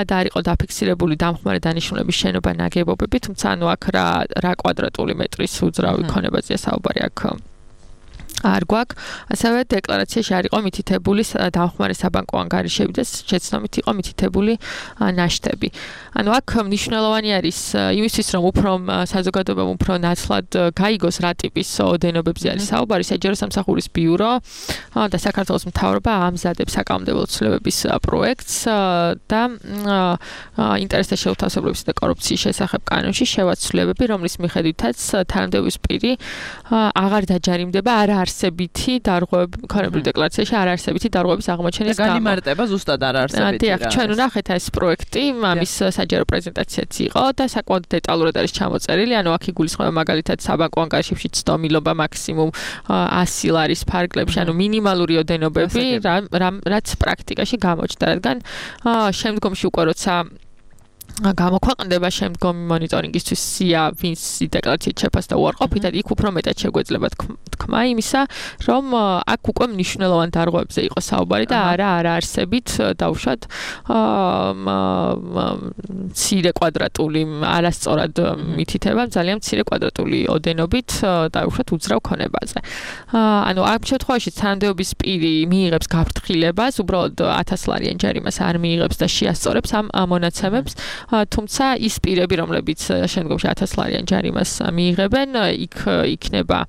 და არ იყო დაფიქსირებული დამხმარე დანიშნულების შენობა ნაგებობები თუმცა ანუ აქ რა კვადრატული მეტრის უძრავი ქონებაზეა საუბარი აქ არ გვაქვს ასევე დეკლარაციაში არ იყო მითითებული დამხმარე საბანკო ანგარიშები და შეცდომით იყო მითითებული ნაშთები ანუ აქ მნიშვნელოვანი არის იმისთვის რომ უფრო საზოგადოებამ უფრო ნაცვლად გაიგოს რა ტიპის ოდენობებზე არის საუბარი საჯარო სამსახურის ბიურო და საქართველოს მთავრობა ამზადებს საკანონმდებლო ცვლილებების პროექტს და ინტერესთა შეუთავსებლობის და კორუფციის შესახებ კანონში შევაცვლიებები რომლის მიხედვითაც თანამდებობის პირი აღარ დაჯარიმდება არა არსებითი დარღვევები ქონებრივ დეკლარაციაში არ არსებითი დარღვევების აღმოჩენის გამო. განიმარტება ზუსტად არ არსებითი. დიახ, ჩვენ ვნახეთ ეს პროექტი, ამის საჯარო პრეზენტაციაც იყო და საკმაოდ დეტალურად არის ჩამოწერილი, ანუ აქ იგულისხმება მაგალითად საბანკო ანგარიშებში ცდომილობა მაქსიმუმ 100 ლარის ფარგლებში, ანუ მინიმალური ოდენობები, რაც პრაქტიკაში გამოჩნდა, რადგან შემდგომში უკვე როცა გამოქვეყნდება შემდგომი მონიტორინგისთვის სია ვინც დეკლარაციით შეფასდა უარყოფითად იქ უფრო მეტად შეგვეძლება თქმა იმისა რომ აქ უკვე მნიშვნელოვან დარღვევებზე იყო საუბარი და არა არაარსებით დაუშვათ მცირე კვადრატული არასწორად მითითება ძალიან მცირე კვადრატული ოდენობით დაუშვათ უძრავ ქონებაზე ანუ ამ შემთხვევაში თანამდებობის პირი მიიღებს გაფრთხილებას უბრალოდ 1000 ლარიან ჯარიმას არ მიიღებს და შეასწორებს ამ მონაცემებს თუმცა ის პირები რომლებიც შემდგომში 1000 ლარიან ჯარიმას მიიღებენ იქ იქნება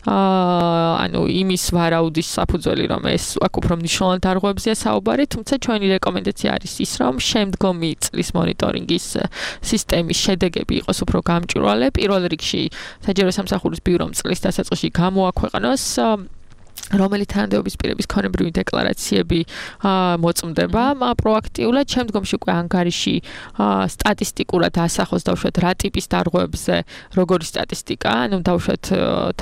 ანუ იმის ვარაუდის საფუძველი რომ ეს აქ უფრო მნიშვნელოვან დარღვევებზეა საუბარი თუმცა ჩვენი რეკომენდაცია არის ის რომ შემდგომი წლის მონიტორინგის სისტემის შედეგები იყოს უფრო გამჭვირვალე პირველ რიგში საჯარო სამსახურის ბიურომ წლის დასაწყისში გამოაქვეყნოს რომელი თანამდებობის პირების ქონებრივი დეკლარაციები მოწმდება პროაქტიულად შემდგომში უკვე ანგარიში სტატისტიკურად ასახოს დაუშვათ რა ტიპის დარღვევებზე როგორი სტატისტიკა ანუ დაუშვათ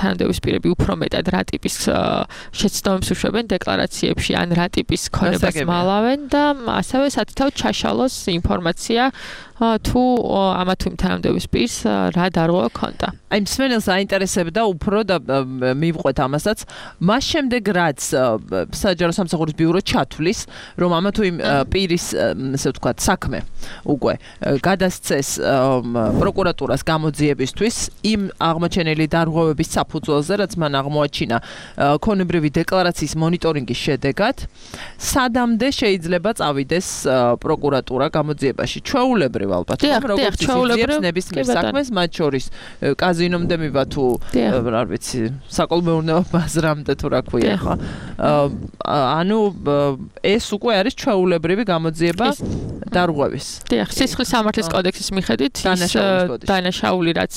თანამდებობის პირები უფრო მეტად რა ტიპის შეცდომებს უშვებენ დეკლარაციებში ან რა ტიპის ქონებას მალავენ და ასევე სათითაოდ ჩაშალოს ინფორმაცია თუ ამა თუ იმ თანამდებობის პირს რა დარღვევა ქონდა აი მსმენელს აინტერესებდა უფრო და მივყვეთ ამასაც მას შემდეგ რაც საჯარო სამსახურის ბიურო ჩათვლის რომ ამა თუ იმ პირის ესე ვთქვათ საქმე უკვე გადასცეს პროკურატურას გამოძიებისთვის იმ აღმოჩენილი დარღვევების საფუძველზე, რაც მან აღმოაჩინა ქონებრივი დეკლარაციის მონიტორინგის შედეგად, სადამდე შეიძლება წავიდეს პროკურატურა გამოძიებაში. ჩვეულებრივ ალბათ, როგორც იცის ნებისმიერ საქმეს, მათ შორის კაზინომდე მივა თუ რა ვიცი, საკოლმეურნეო ბაზრამდე თუ რა ქვია ხო? ანუ ეს უკვე არის ჩვეულებრივი გამოძიება დარღვევის. დიახ, სისხლის სამართლის კოდექსის მიხედვით დანაშაული რაც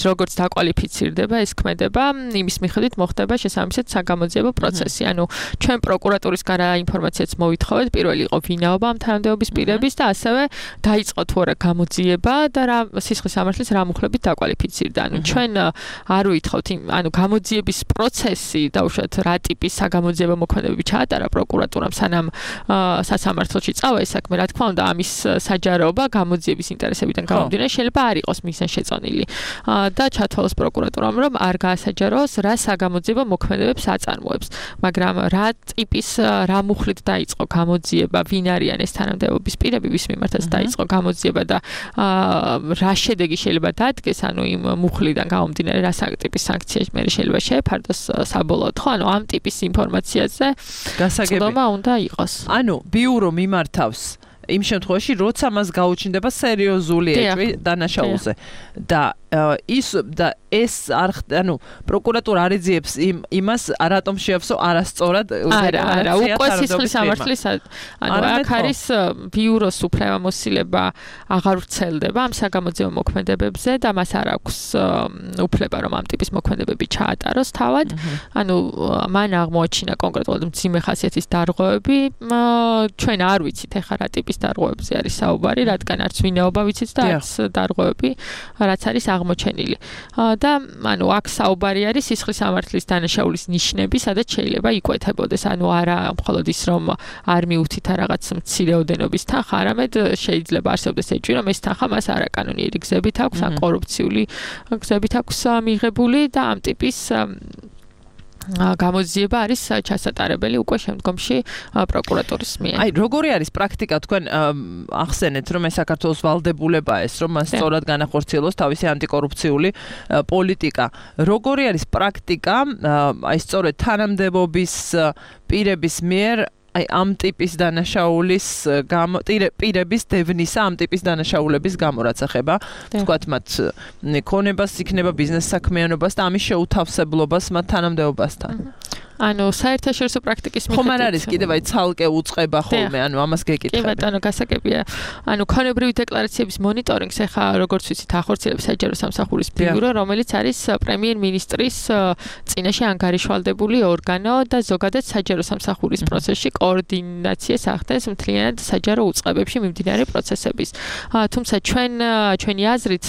როგორც დაკვალიფიცირდება, ეს ქმედება, იმის მიხედვით მოხდება შესაბამისად საგამოძიებო პროცესი. ანუ ჩვენ პროკურატურის გარდა ინფორმაციაც მოვითხოვეთ, პირველი იყო ვინაობა ამ თანამდებობის პირების და ასევე დაიწყო თუ არა გამოძიება და რა სისხლის სამართლის რა მუხლებით დაკვალიფიცირდა. ანუ ჩვენ არ ვითხოვთ, ანუ გამოძიების პროცესი დაუშვათ რა ტიპის საგამოძიებო მოქმედებები ჩაატარა პროკურატურამ სანამ სასამართლოში წავა ეს საქმე, რა თქმა უნდა, ამის საჯაროობა გამოძიების ინტერესებიდან გამომდინარე შეიძლება არ იყოს მისგან შეწონილი. და ჩათვალოს პროკურატურამ, რომ არ გაასაჯაროს რა საგამოძიებო მოქმედებებს აწარმოებს. მაგრამ რა ტიპის რა მუხლით დაიწყო გამოძიება, ვინ არიან ეს თანამდებობის პირები, ვის მიმართაც დაიწყო გამოძიება და რა შედეგი შეიძლება დადგეს, ანუ იმ მუხლიდან გამომდინარე რა ტიპის სანქცია მე შეიძლება შეეფარდოს საბოლოოდ, ხო? ანუ ამ ტიპის ინფორმაციაზე გასაგები უნდა იყოს. ანუ ბიურო მიმართავს იმ შემთხვევაში, როცა მას გაუჩნდება სერიოზული ეჭვი დანაშაულზე და ეს ანუ პროკურატურა არ ეძიებს იმას რატომ შეავსო არასწორად არა უკვე სისხლის სამართლის ანუ აქ არის ბიუროს უფლებამოსილება აღარ ვრცელდება ამ საგამოძიებო მოქმედებებზე და მას არ აქვს უფლება რომ ამ ტიპის მოქმედებები ჩაატაროს თავად ანუ მან აღმოაჩინა კონკრეტულად მძიმე ხასიათის დარღვევები ჩვენ არ ვიცით ეხლა რა ტიპის დარღვევებზე არის საუბარი რადგან არც ვინაობა ვიცით და არც დარღვევები რაც არის აღმოჩენილი და ანუ აქ საუბარი არის სისხლის სამართლის დანაშაულის ნიშნები, სადაც შეიძლება იკვეთებოდეს. ანუ არა მხოლოდ ის რომ არ მიუთით რაღაც მცირეოდენობის თანხა, არამედ შეიძლება არსებობდეს ეჭვი, რომ ეს თანხა მას არაკანონიერი გზებით აქვს, ან კორუფციული გზებით აქვს მიღებული და ამ ტიპის გამოძიება არის ჩასატარებელი უკვე შემდგომში პროკურატურის მიერ. აი, როგორი არის პრაქტიკა თქვენ ახსენეთ, რომ ეს საქართველოს ვალდებულებაა ეს, რომ მას სწორად განახორციელოს თავისი ანტიკორუფციული პოლიტიკა. როგორი არის პრაქტიკა, აი სწორედ თანამდებობის პირების მიერ აი ამ ტიპის დანაშაულის პირების დევნისა ამ ტიპის დანაშაულების გამო რაც ახება თქვათ მათ ქონებას იქნება ბიზნეს საქმიანობას და ამის შეუთავსებლობას მათ თანამდებობასთან ანუ საერთაშორისო პრაქტიკის მიხედვით ხომ არ არის კიდევ აი ცალკე უწყება ხოლმე ანუ ამას გეკითხები კი ბატონო გასაგებია ანუ ქონებრივი დეკლარაციების მონიტორინგს ეხა როგორც ვიცით ახორციელებს საჯარო სამსახურის ბიურო რომელიც არის პრემიერ-მინისტრის წინაშე ანგარიშვალდებული ორგანო და ზოგადად საჯარო სამსახურის პროცესში კოორდინაციას ახდენს მთლიანად საჯარო უწყებებში მიმდინარე პროცესების თუმცა ჩვენი აზრით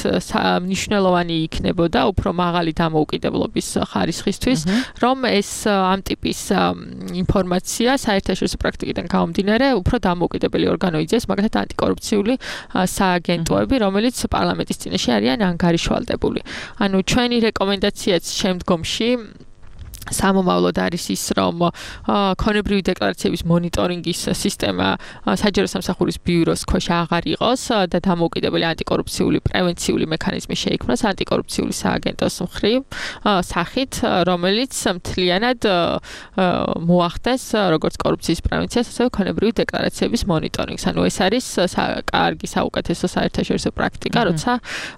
მნიშვნელოვანი იქნებოდა უფრო მაღალი დამოუკიდებლობის ხარისხისთვის რომ ეს ამ ტიპის ინფორმაცია საერთაშორისო პრაქტიკიდან გამომდინარე უფრო დამოუკიდებელი ორგანო იძიებს მაგალითად ანტიკორუფციული სააგენტოები რომელიც პარლამენტის წინაშე არიან ანგარიშვალდებული ანუ ჩვენი რეკომენდაციაც შემდგომში სამომავლოდ არის ის რომ ქონებრივი დეკლარაციების მონიტორინგის სისტემა საჯარო სამსახურის ბიუროს ქვეშ აღარ იყოს და დამოუკიდებელი ანტიკორუფციული პრევენციული მექანიზმი შეიქმნას ანტიკორუფციული სააგენტოს მხრივ სახით რომელიც მთლიანად მოახდენს როგორც კორუფციის პრევენციას ასევე ქონებრივი დეკლარაციების მონიტორინგს ანუ ეს არის კარგი საუკეთესო საერთაშორისო პრაქტიკა როცა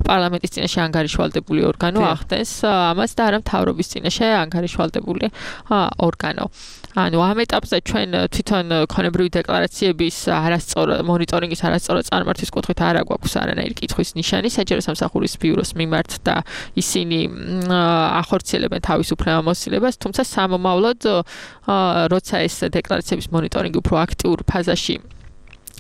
პარლამენტის წინაშე ანგარიშვალდებული ორგანო ახდენს ამას და არა მთავრობის წინაშე ანგარიშვალდებული ორგანო. ანუ ამ ეტაპზე ჩვენ თვითონ ქონებრივი დეკლარაციების მონიტორინგის არასწორად წარმართვის კუთხით არ აგვაქვს არანაირი კითხვის ნიშანი საჯარო სამსახურის ბიუროს მიმართ და ისინი ახორციელებენ თავის უფლებამოსილებას, თუმცა სამომავლოდ როცა ეს დეკლარაციების მონიტორინგი უფრო აქტიურ ფაზაში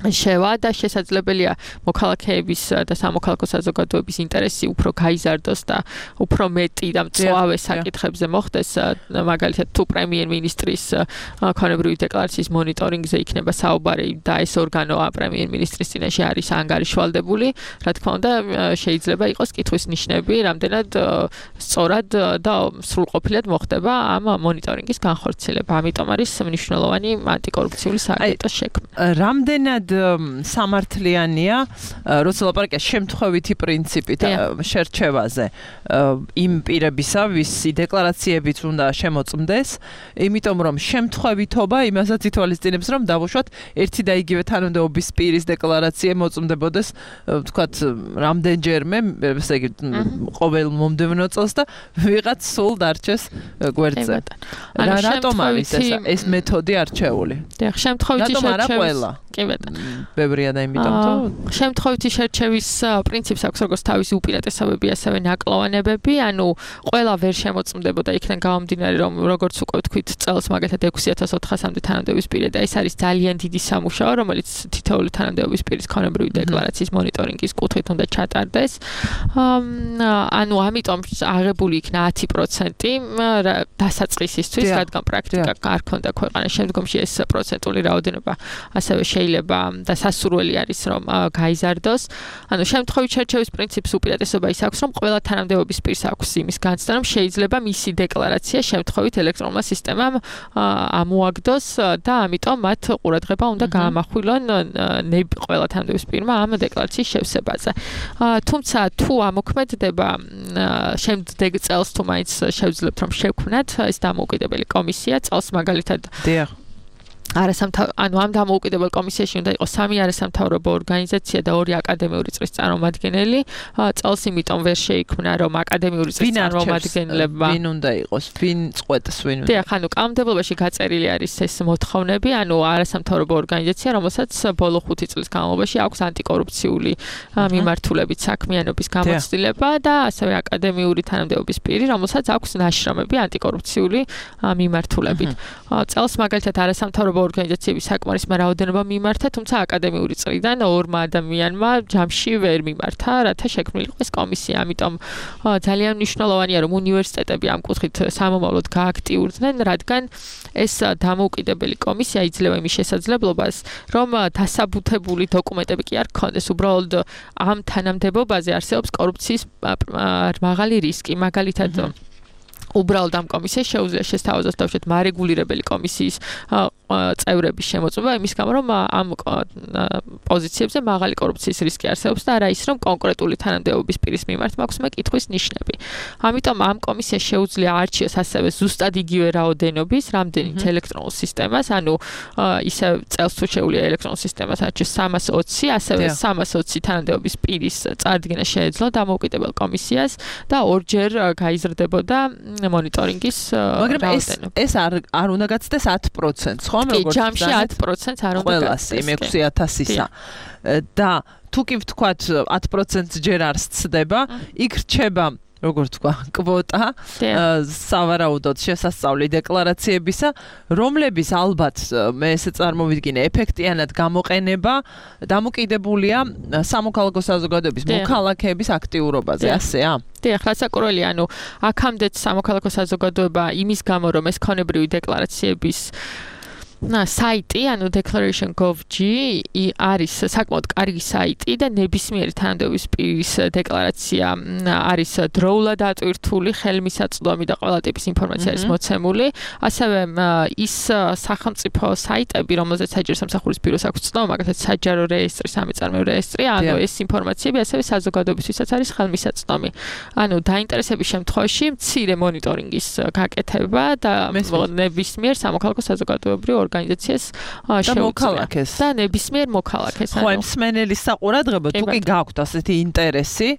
შევა და შესაძლებელია მოქალაქეების და სამოქალაქო საზოგადოების ინტერესი უფრო გაიზარდოს და უფრო მეტი და მწვავე საკითხებზე მოხდეს მაგალითად თუ პრემიერ-მინისტრის ქონებრივი დეკლარაციის მონიტორინგზე იქნება საუბარი და ეს ორგანო პრემიერ-მინისტრის წინაშე არის ანგარიშვალდებული რა თქმა უნდა შეიძლება იყოს კითხვის ნიშნები რამდენად სწორად და სრულყოფილად მოხდება ამ მონიტორინგის განხორციელება ამიტომ არის მნიშვნელოვანი ანტიკორუფციული სააგენტოს შექმნა რამდენად ძალიან სამართლიანია, როცა ლაპარაკია შემთხვევითი პრინციპით შერჩევაზე იმ პირებისა, ვისი დეკლარაციებიც უნდა შემოწმდეს, იმიტომ რომ შემთხვევითობა იმასაც ითვალისწინებს, რომ დავუშვათ ერთი და იგივე თანამდებობის პირის დეკლარაცია მოწმდებოდეს, ვთქვათ, რამდენჯერმე, ესე იგი, ყოველ მომდევნო წელს და ვიღაც სულ დარჩეს გვერდზე. რატომ არის ეს მეთოდი არჩეული? დიახ, შემთხვევითი შერჩევის. კი ბატონო. ბევრია და იმიტომ თუ შემთხვევითი შერჩევის პრინციპს აქვს როგორც თავისი უპირატესობები, ასევე ნაკლოვანებები, ანუ ყველა ვერ შემოწმდებოდა იქიდან გამომდინარე, რომ როგორც უკვე ვთქვით, წელს მაგალითად 6400-მდე თანამდებობის პირი და ეს არის ძალიან დიდი სამუშაო, რომელიც თითოეული თანამდებობის პირის ქონებრივი დეკლარაციის მონიტორინგის კუთხით უნდა ჩატარდეს. ანუ ამიტომ აღებული იქნა 10% დასაწყისისთვის, რადგან პრაქტიკა არ ქონდა ქვეყანაში, შემდგომში ეს პროცენტული რაოდენობა ასევე შეიძლება და სასურველი არის რომ გაიზარდოს. ანუ შემთხვევით შერჩევის პრინციპს უპირატესობა ის აქვს, რომ ყველა თანამდებობის პირს აქვს იმის განცდა, რომ შეიძლება მისი დეკლარაცია შემთხვევით ელექტრონულმა სისტემამ ამოაგდოს და ამიტომ მათ ყურადღება უნდა გაამახვილონ ყველა თანამდებობის პირმა ამ დეკლარაციის შევსებაზე. თუმცა თუ ამოქმედდება შემდეგ წელს თუ მაინც შევძლებთ რომ შევქმნათ ეს დამოუკიდებელი კომისია წელს მაგალითად ანუ ამ დამოუკიდებელ კომისიაში უნდა იყოს 3 არასამთავრობო ორგანიზაცია და 2 აკადემიური წრის წარმომადგენელი. წელს იმიტომ ვერ შეიქმნა რომ აკადემიური წრის წარმომადგენლებმა ვინ უნდა იყოს, ვინ წყვეტს, ვინ უნდა. დიახ, ანუ კანონმდებლობაში გაწერილი არის ეს მოთხოვნები, ანუ არასამთავრობო ორგანიზაცია, რომელსაც ბოლო 5 წლის განმავლობაში აქვს ანტიკორუფციული მიმართულებით საქმიანობის გამოცდილება და ასევე აკადემიური თანამდებობის პირი, რომელსაც აქვს ნაშრომები ანტიკორუფციული მიმართულებით. წელს მაგალითად არასამთავრობო ორგანიზაციების საკმარისმა რაოდენობა მიმართა, თუმცა აკადემიური წრიდან 2 ადამიანმა ჯამში ვერ მიმართა, რათა შექმნილიყო ეს კომისია. ამიტომ ძალიან მნიშვნელოვანია, რომ უნივერსიტეტები ამ კუთხით სამომავლოდ გააქტიურდნენ, რადგან ეს დამოუკიდებელი კომისია იძლევა იმის შესაძლებლობას, რომ დასაბუთებული დოკუმენტები კი არ გქონდეს, უბრალოდ ამ თანამდებობაზე არსებობს კორუფციის მაღალი რისკი. მაგალითად უბრალოდ ამ კომისიას შეუძლია შესთავაზოს თავშეთ მარეგულირებელი კომისიის წევრების შემოწმება იმის გამო რომ ამ პოზიციებზე მაღალი კორუფციის რისკი არსებობს და არა ის რომ კონკრეტული თანამდებობის პირის მიმართ მაქვს მეკითხვის ნიშნები. ამიტომ ამ კომისიას შეუძლია არჩიოს ასევე ზუსტად იგივე რაოდენობის რამდენიც ელექტრონულ სისტემას, ანუ ისე წელს თუ შეუძლია ელექტრონულ სისტემას არჩიოს 320, ასევე 320 თანამდებობის პირის წარდგენა შეეძლო დამოუკიდებელ კომისიას და ორჯერ გაიზრდებოდა მონიტორინგის რაოდენობა. ეს არ უნდა გაცდეს 10%, ხო? კი, ჯამში 10% არ უნდა გაცდეს. 6000-ისა. და თუ კი ვთქვათ 10% ჯერ არ სცდება, იქ რჩება როგორ თქვა, კვოტა სავარაუდოდ შესასწავლი დეკლარაციებისა, რომლების ალბათ მე ესე წარმოვიდგინე ეფექტიანად გამოყენება დამოკიდებულია სამოქალაქო საზოგადოების მოქალაქეების აქტიურობაზე, ასეა? დიახ, რასაკურველი, ანუ აქამდეც სამოქალაქო საზოგადოება იმის გამო რომ ეს ქონებრივი დეკლარაციების საიტი, ანუ declaration.gov.g არის საკმაოდ კარგი საიტი და ნებისმიერი თანამდებობის პირის დეკლარაცია არის დროულად ატვირთული, ხელმისაწვდომი და ყველა ტიპის ინფორმაცია არის მოცემული. ასევე ის სახელმწიფო საიტები, რომელზეც საჯარო სამსახურის ბიუროს აქვს ცნობა, მაგალითად საჯარო რეესტრი, სამეწარმეო რეესტრი, ანუ ეს ინფორმაციები ასევე საზოგადოებისთვისაც არის ხელმისაწვდომი. ანუ დაინტერესების შემთხვევაში მცირე მონიტორინგის გაკეთება და ნებისმიერ სამოქალაქო საზოგადოებრივ ორგანიზაციას მოქალაქეს და ნებისმიერ მოქალაქეს. ხო, მსმენელის საყურადღებო თუ კი გაქვთ ასეთი ინტერესი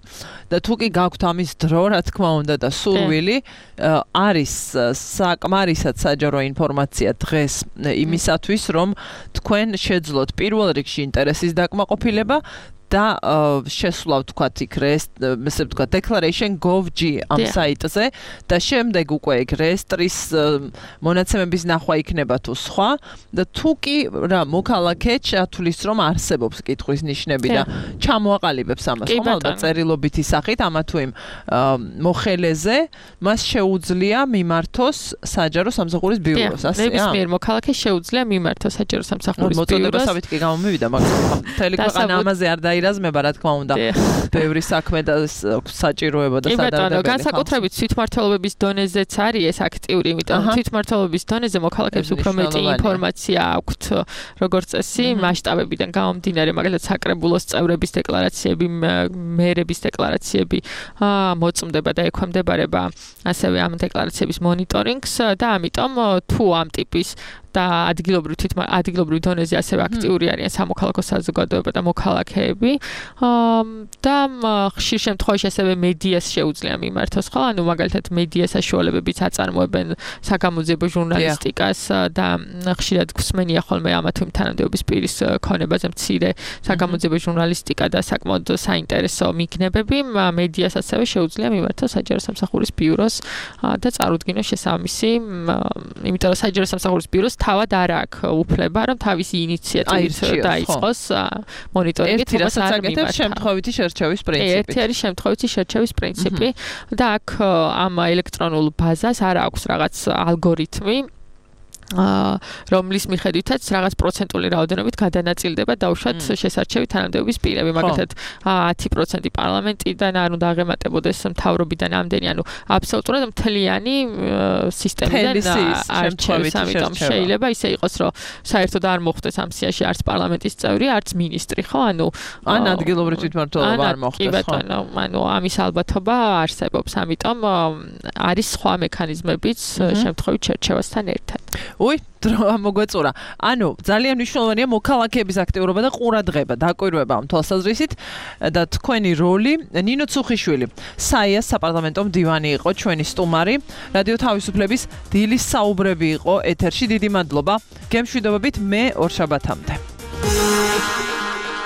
და თუ კი გაქვთ ამის დრო, რა თქმა უნდა და სურვილი, არის საკმარისად საჯარო ინფორმაცია დღეს იმისათვის, რომ თქვენ შეძლოთ პირველ რიგში ინტერესის დაკმაყოფილება და შესვლა ვთქვათ იქ ესე ვთქვათ declaration.gov.g ამ საიტზე და შემდეგ უკვე იქ რეესტრის მონაცემების ნახვა იქნება თუ სხვა და თუ კი რა მოქალაქე ჩათვლის რომ არსებობს კითხვის ნიშნები და ჩამოაყალიბებს ამას ხომ ალბათ წერილობითი სახით ამა თუ იმ მოხელეზე მას შეუძლია მიმართოს საჯარო სამსახურის ბიუროს, ასეა? ნებისმიერ მოქალაქეს შეუძლია მიმართოს საჯარო სამსახურის ბიუროს. მოწოდებასავით კი გამომივიდა, მაგრამ მთელი ქვეყანა ამაზე არ დაირაზმება, რა თქმა უნდა. ბევრი საქმე და საჭიროება და სადარდებელი. განსაკუთრებით თვითმმართველობის დონეზეც არის ეს აქტიური, იმიტომ თვითმმართველობის დონეზე მოქალაქეებს უფრო მეტი ინფორმაცია აქვთ, როგორც წესი, მასშტაბებიდან გამომდინარე, მაგალითად საკრებულოს წევრების დეკლარაციები, მერების დეკლარაციები მოწმდება და ექვემდებარება ასევე ამ დეკლარაციების მონიტორინგს და ამიტომ თუ ამ ტიპის და ადგილობრივ დონეზე ასევე აქტიური არიან სამოქალაქო საზოგადოება და მოქალაქეები და ხშირ შემთხვევაში ასევე მედიას შეუძლია მიმართოს, ხო? ანუ მაგალითად მედია საშუალებებიც აწარმოებენ საგამოძიებო ჟურნალისტიკას და ხშირად გვსმენია ხოლმე ამა თუ იმ თანამდებობის პირის ქონებაზე მცირე საგამოძიებო ჟურნალისტიკა და საკმაოდ საინტერესო მიგნებები, მედიას ასევე შეუძლია მიმართოს საჯარო სამსახურის ბიუროს და წარუდგინოს შესაბამისი, იმიტომ რომ საჯარო სამსახურის ბიუროს თავად არ აქვს უფლება, რომ თავისი ინიციატივით დაიწყოს მონიტორინგი, თუმცა არ მიმართა. შემთხვევითი შერჩევის პრინციპი. ერთი არის შემთხვევითი შერჩევის პრინციპი და აქ ამ ელექტრონულ ბაზას არ აქვს რაღაც ალგორითმი, რომლის მიხედვითაც რაღაც პროცენტული რაოდენობით გადანაწილდება დაუშვათ შესარჩევი თანამდებობის პირები, მაგალითად 10% პარლამენტიდან არ უნდა აღემატებოდეს მთავრობიდან ამდენი, ანუ აბსოლუტურად მთლიანი სისტემიდან არჩევის, ამიტომ შეიძლება ისე იყოს, რომ საერთოდ არ მოხდეს ამ სიაში არც პარლამენტის წევრი, არც მინისტრი, ხო? ანუ ან ადგილობრივ თვითმმართველობა არ მოხდეს, ხო? კი ბატონო, ანუ ამის ალბათობა არსებობს, ამიტომ არის სხვა მექანიზმებიც შემთხვევით შერჩევასთან ერთად. უი, დრო მოგვეწურა. ანუ ძალიან მნიშვნელოვანია მოქალაქეების აქტიურობა და ყურადღება, დაკვირვება ამ თვალსაზრისით და თქვენი როლი. ნინო ცუხიშვილი, საიას საპარლამენტო მდივანი იყო ჩვენი სტუმარი. რადიო თავისუფლების დილის საუბრები იყო ეთერში. დიდი მადლობა. გემშვიდობებით მე ორშაბათამდე.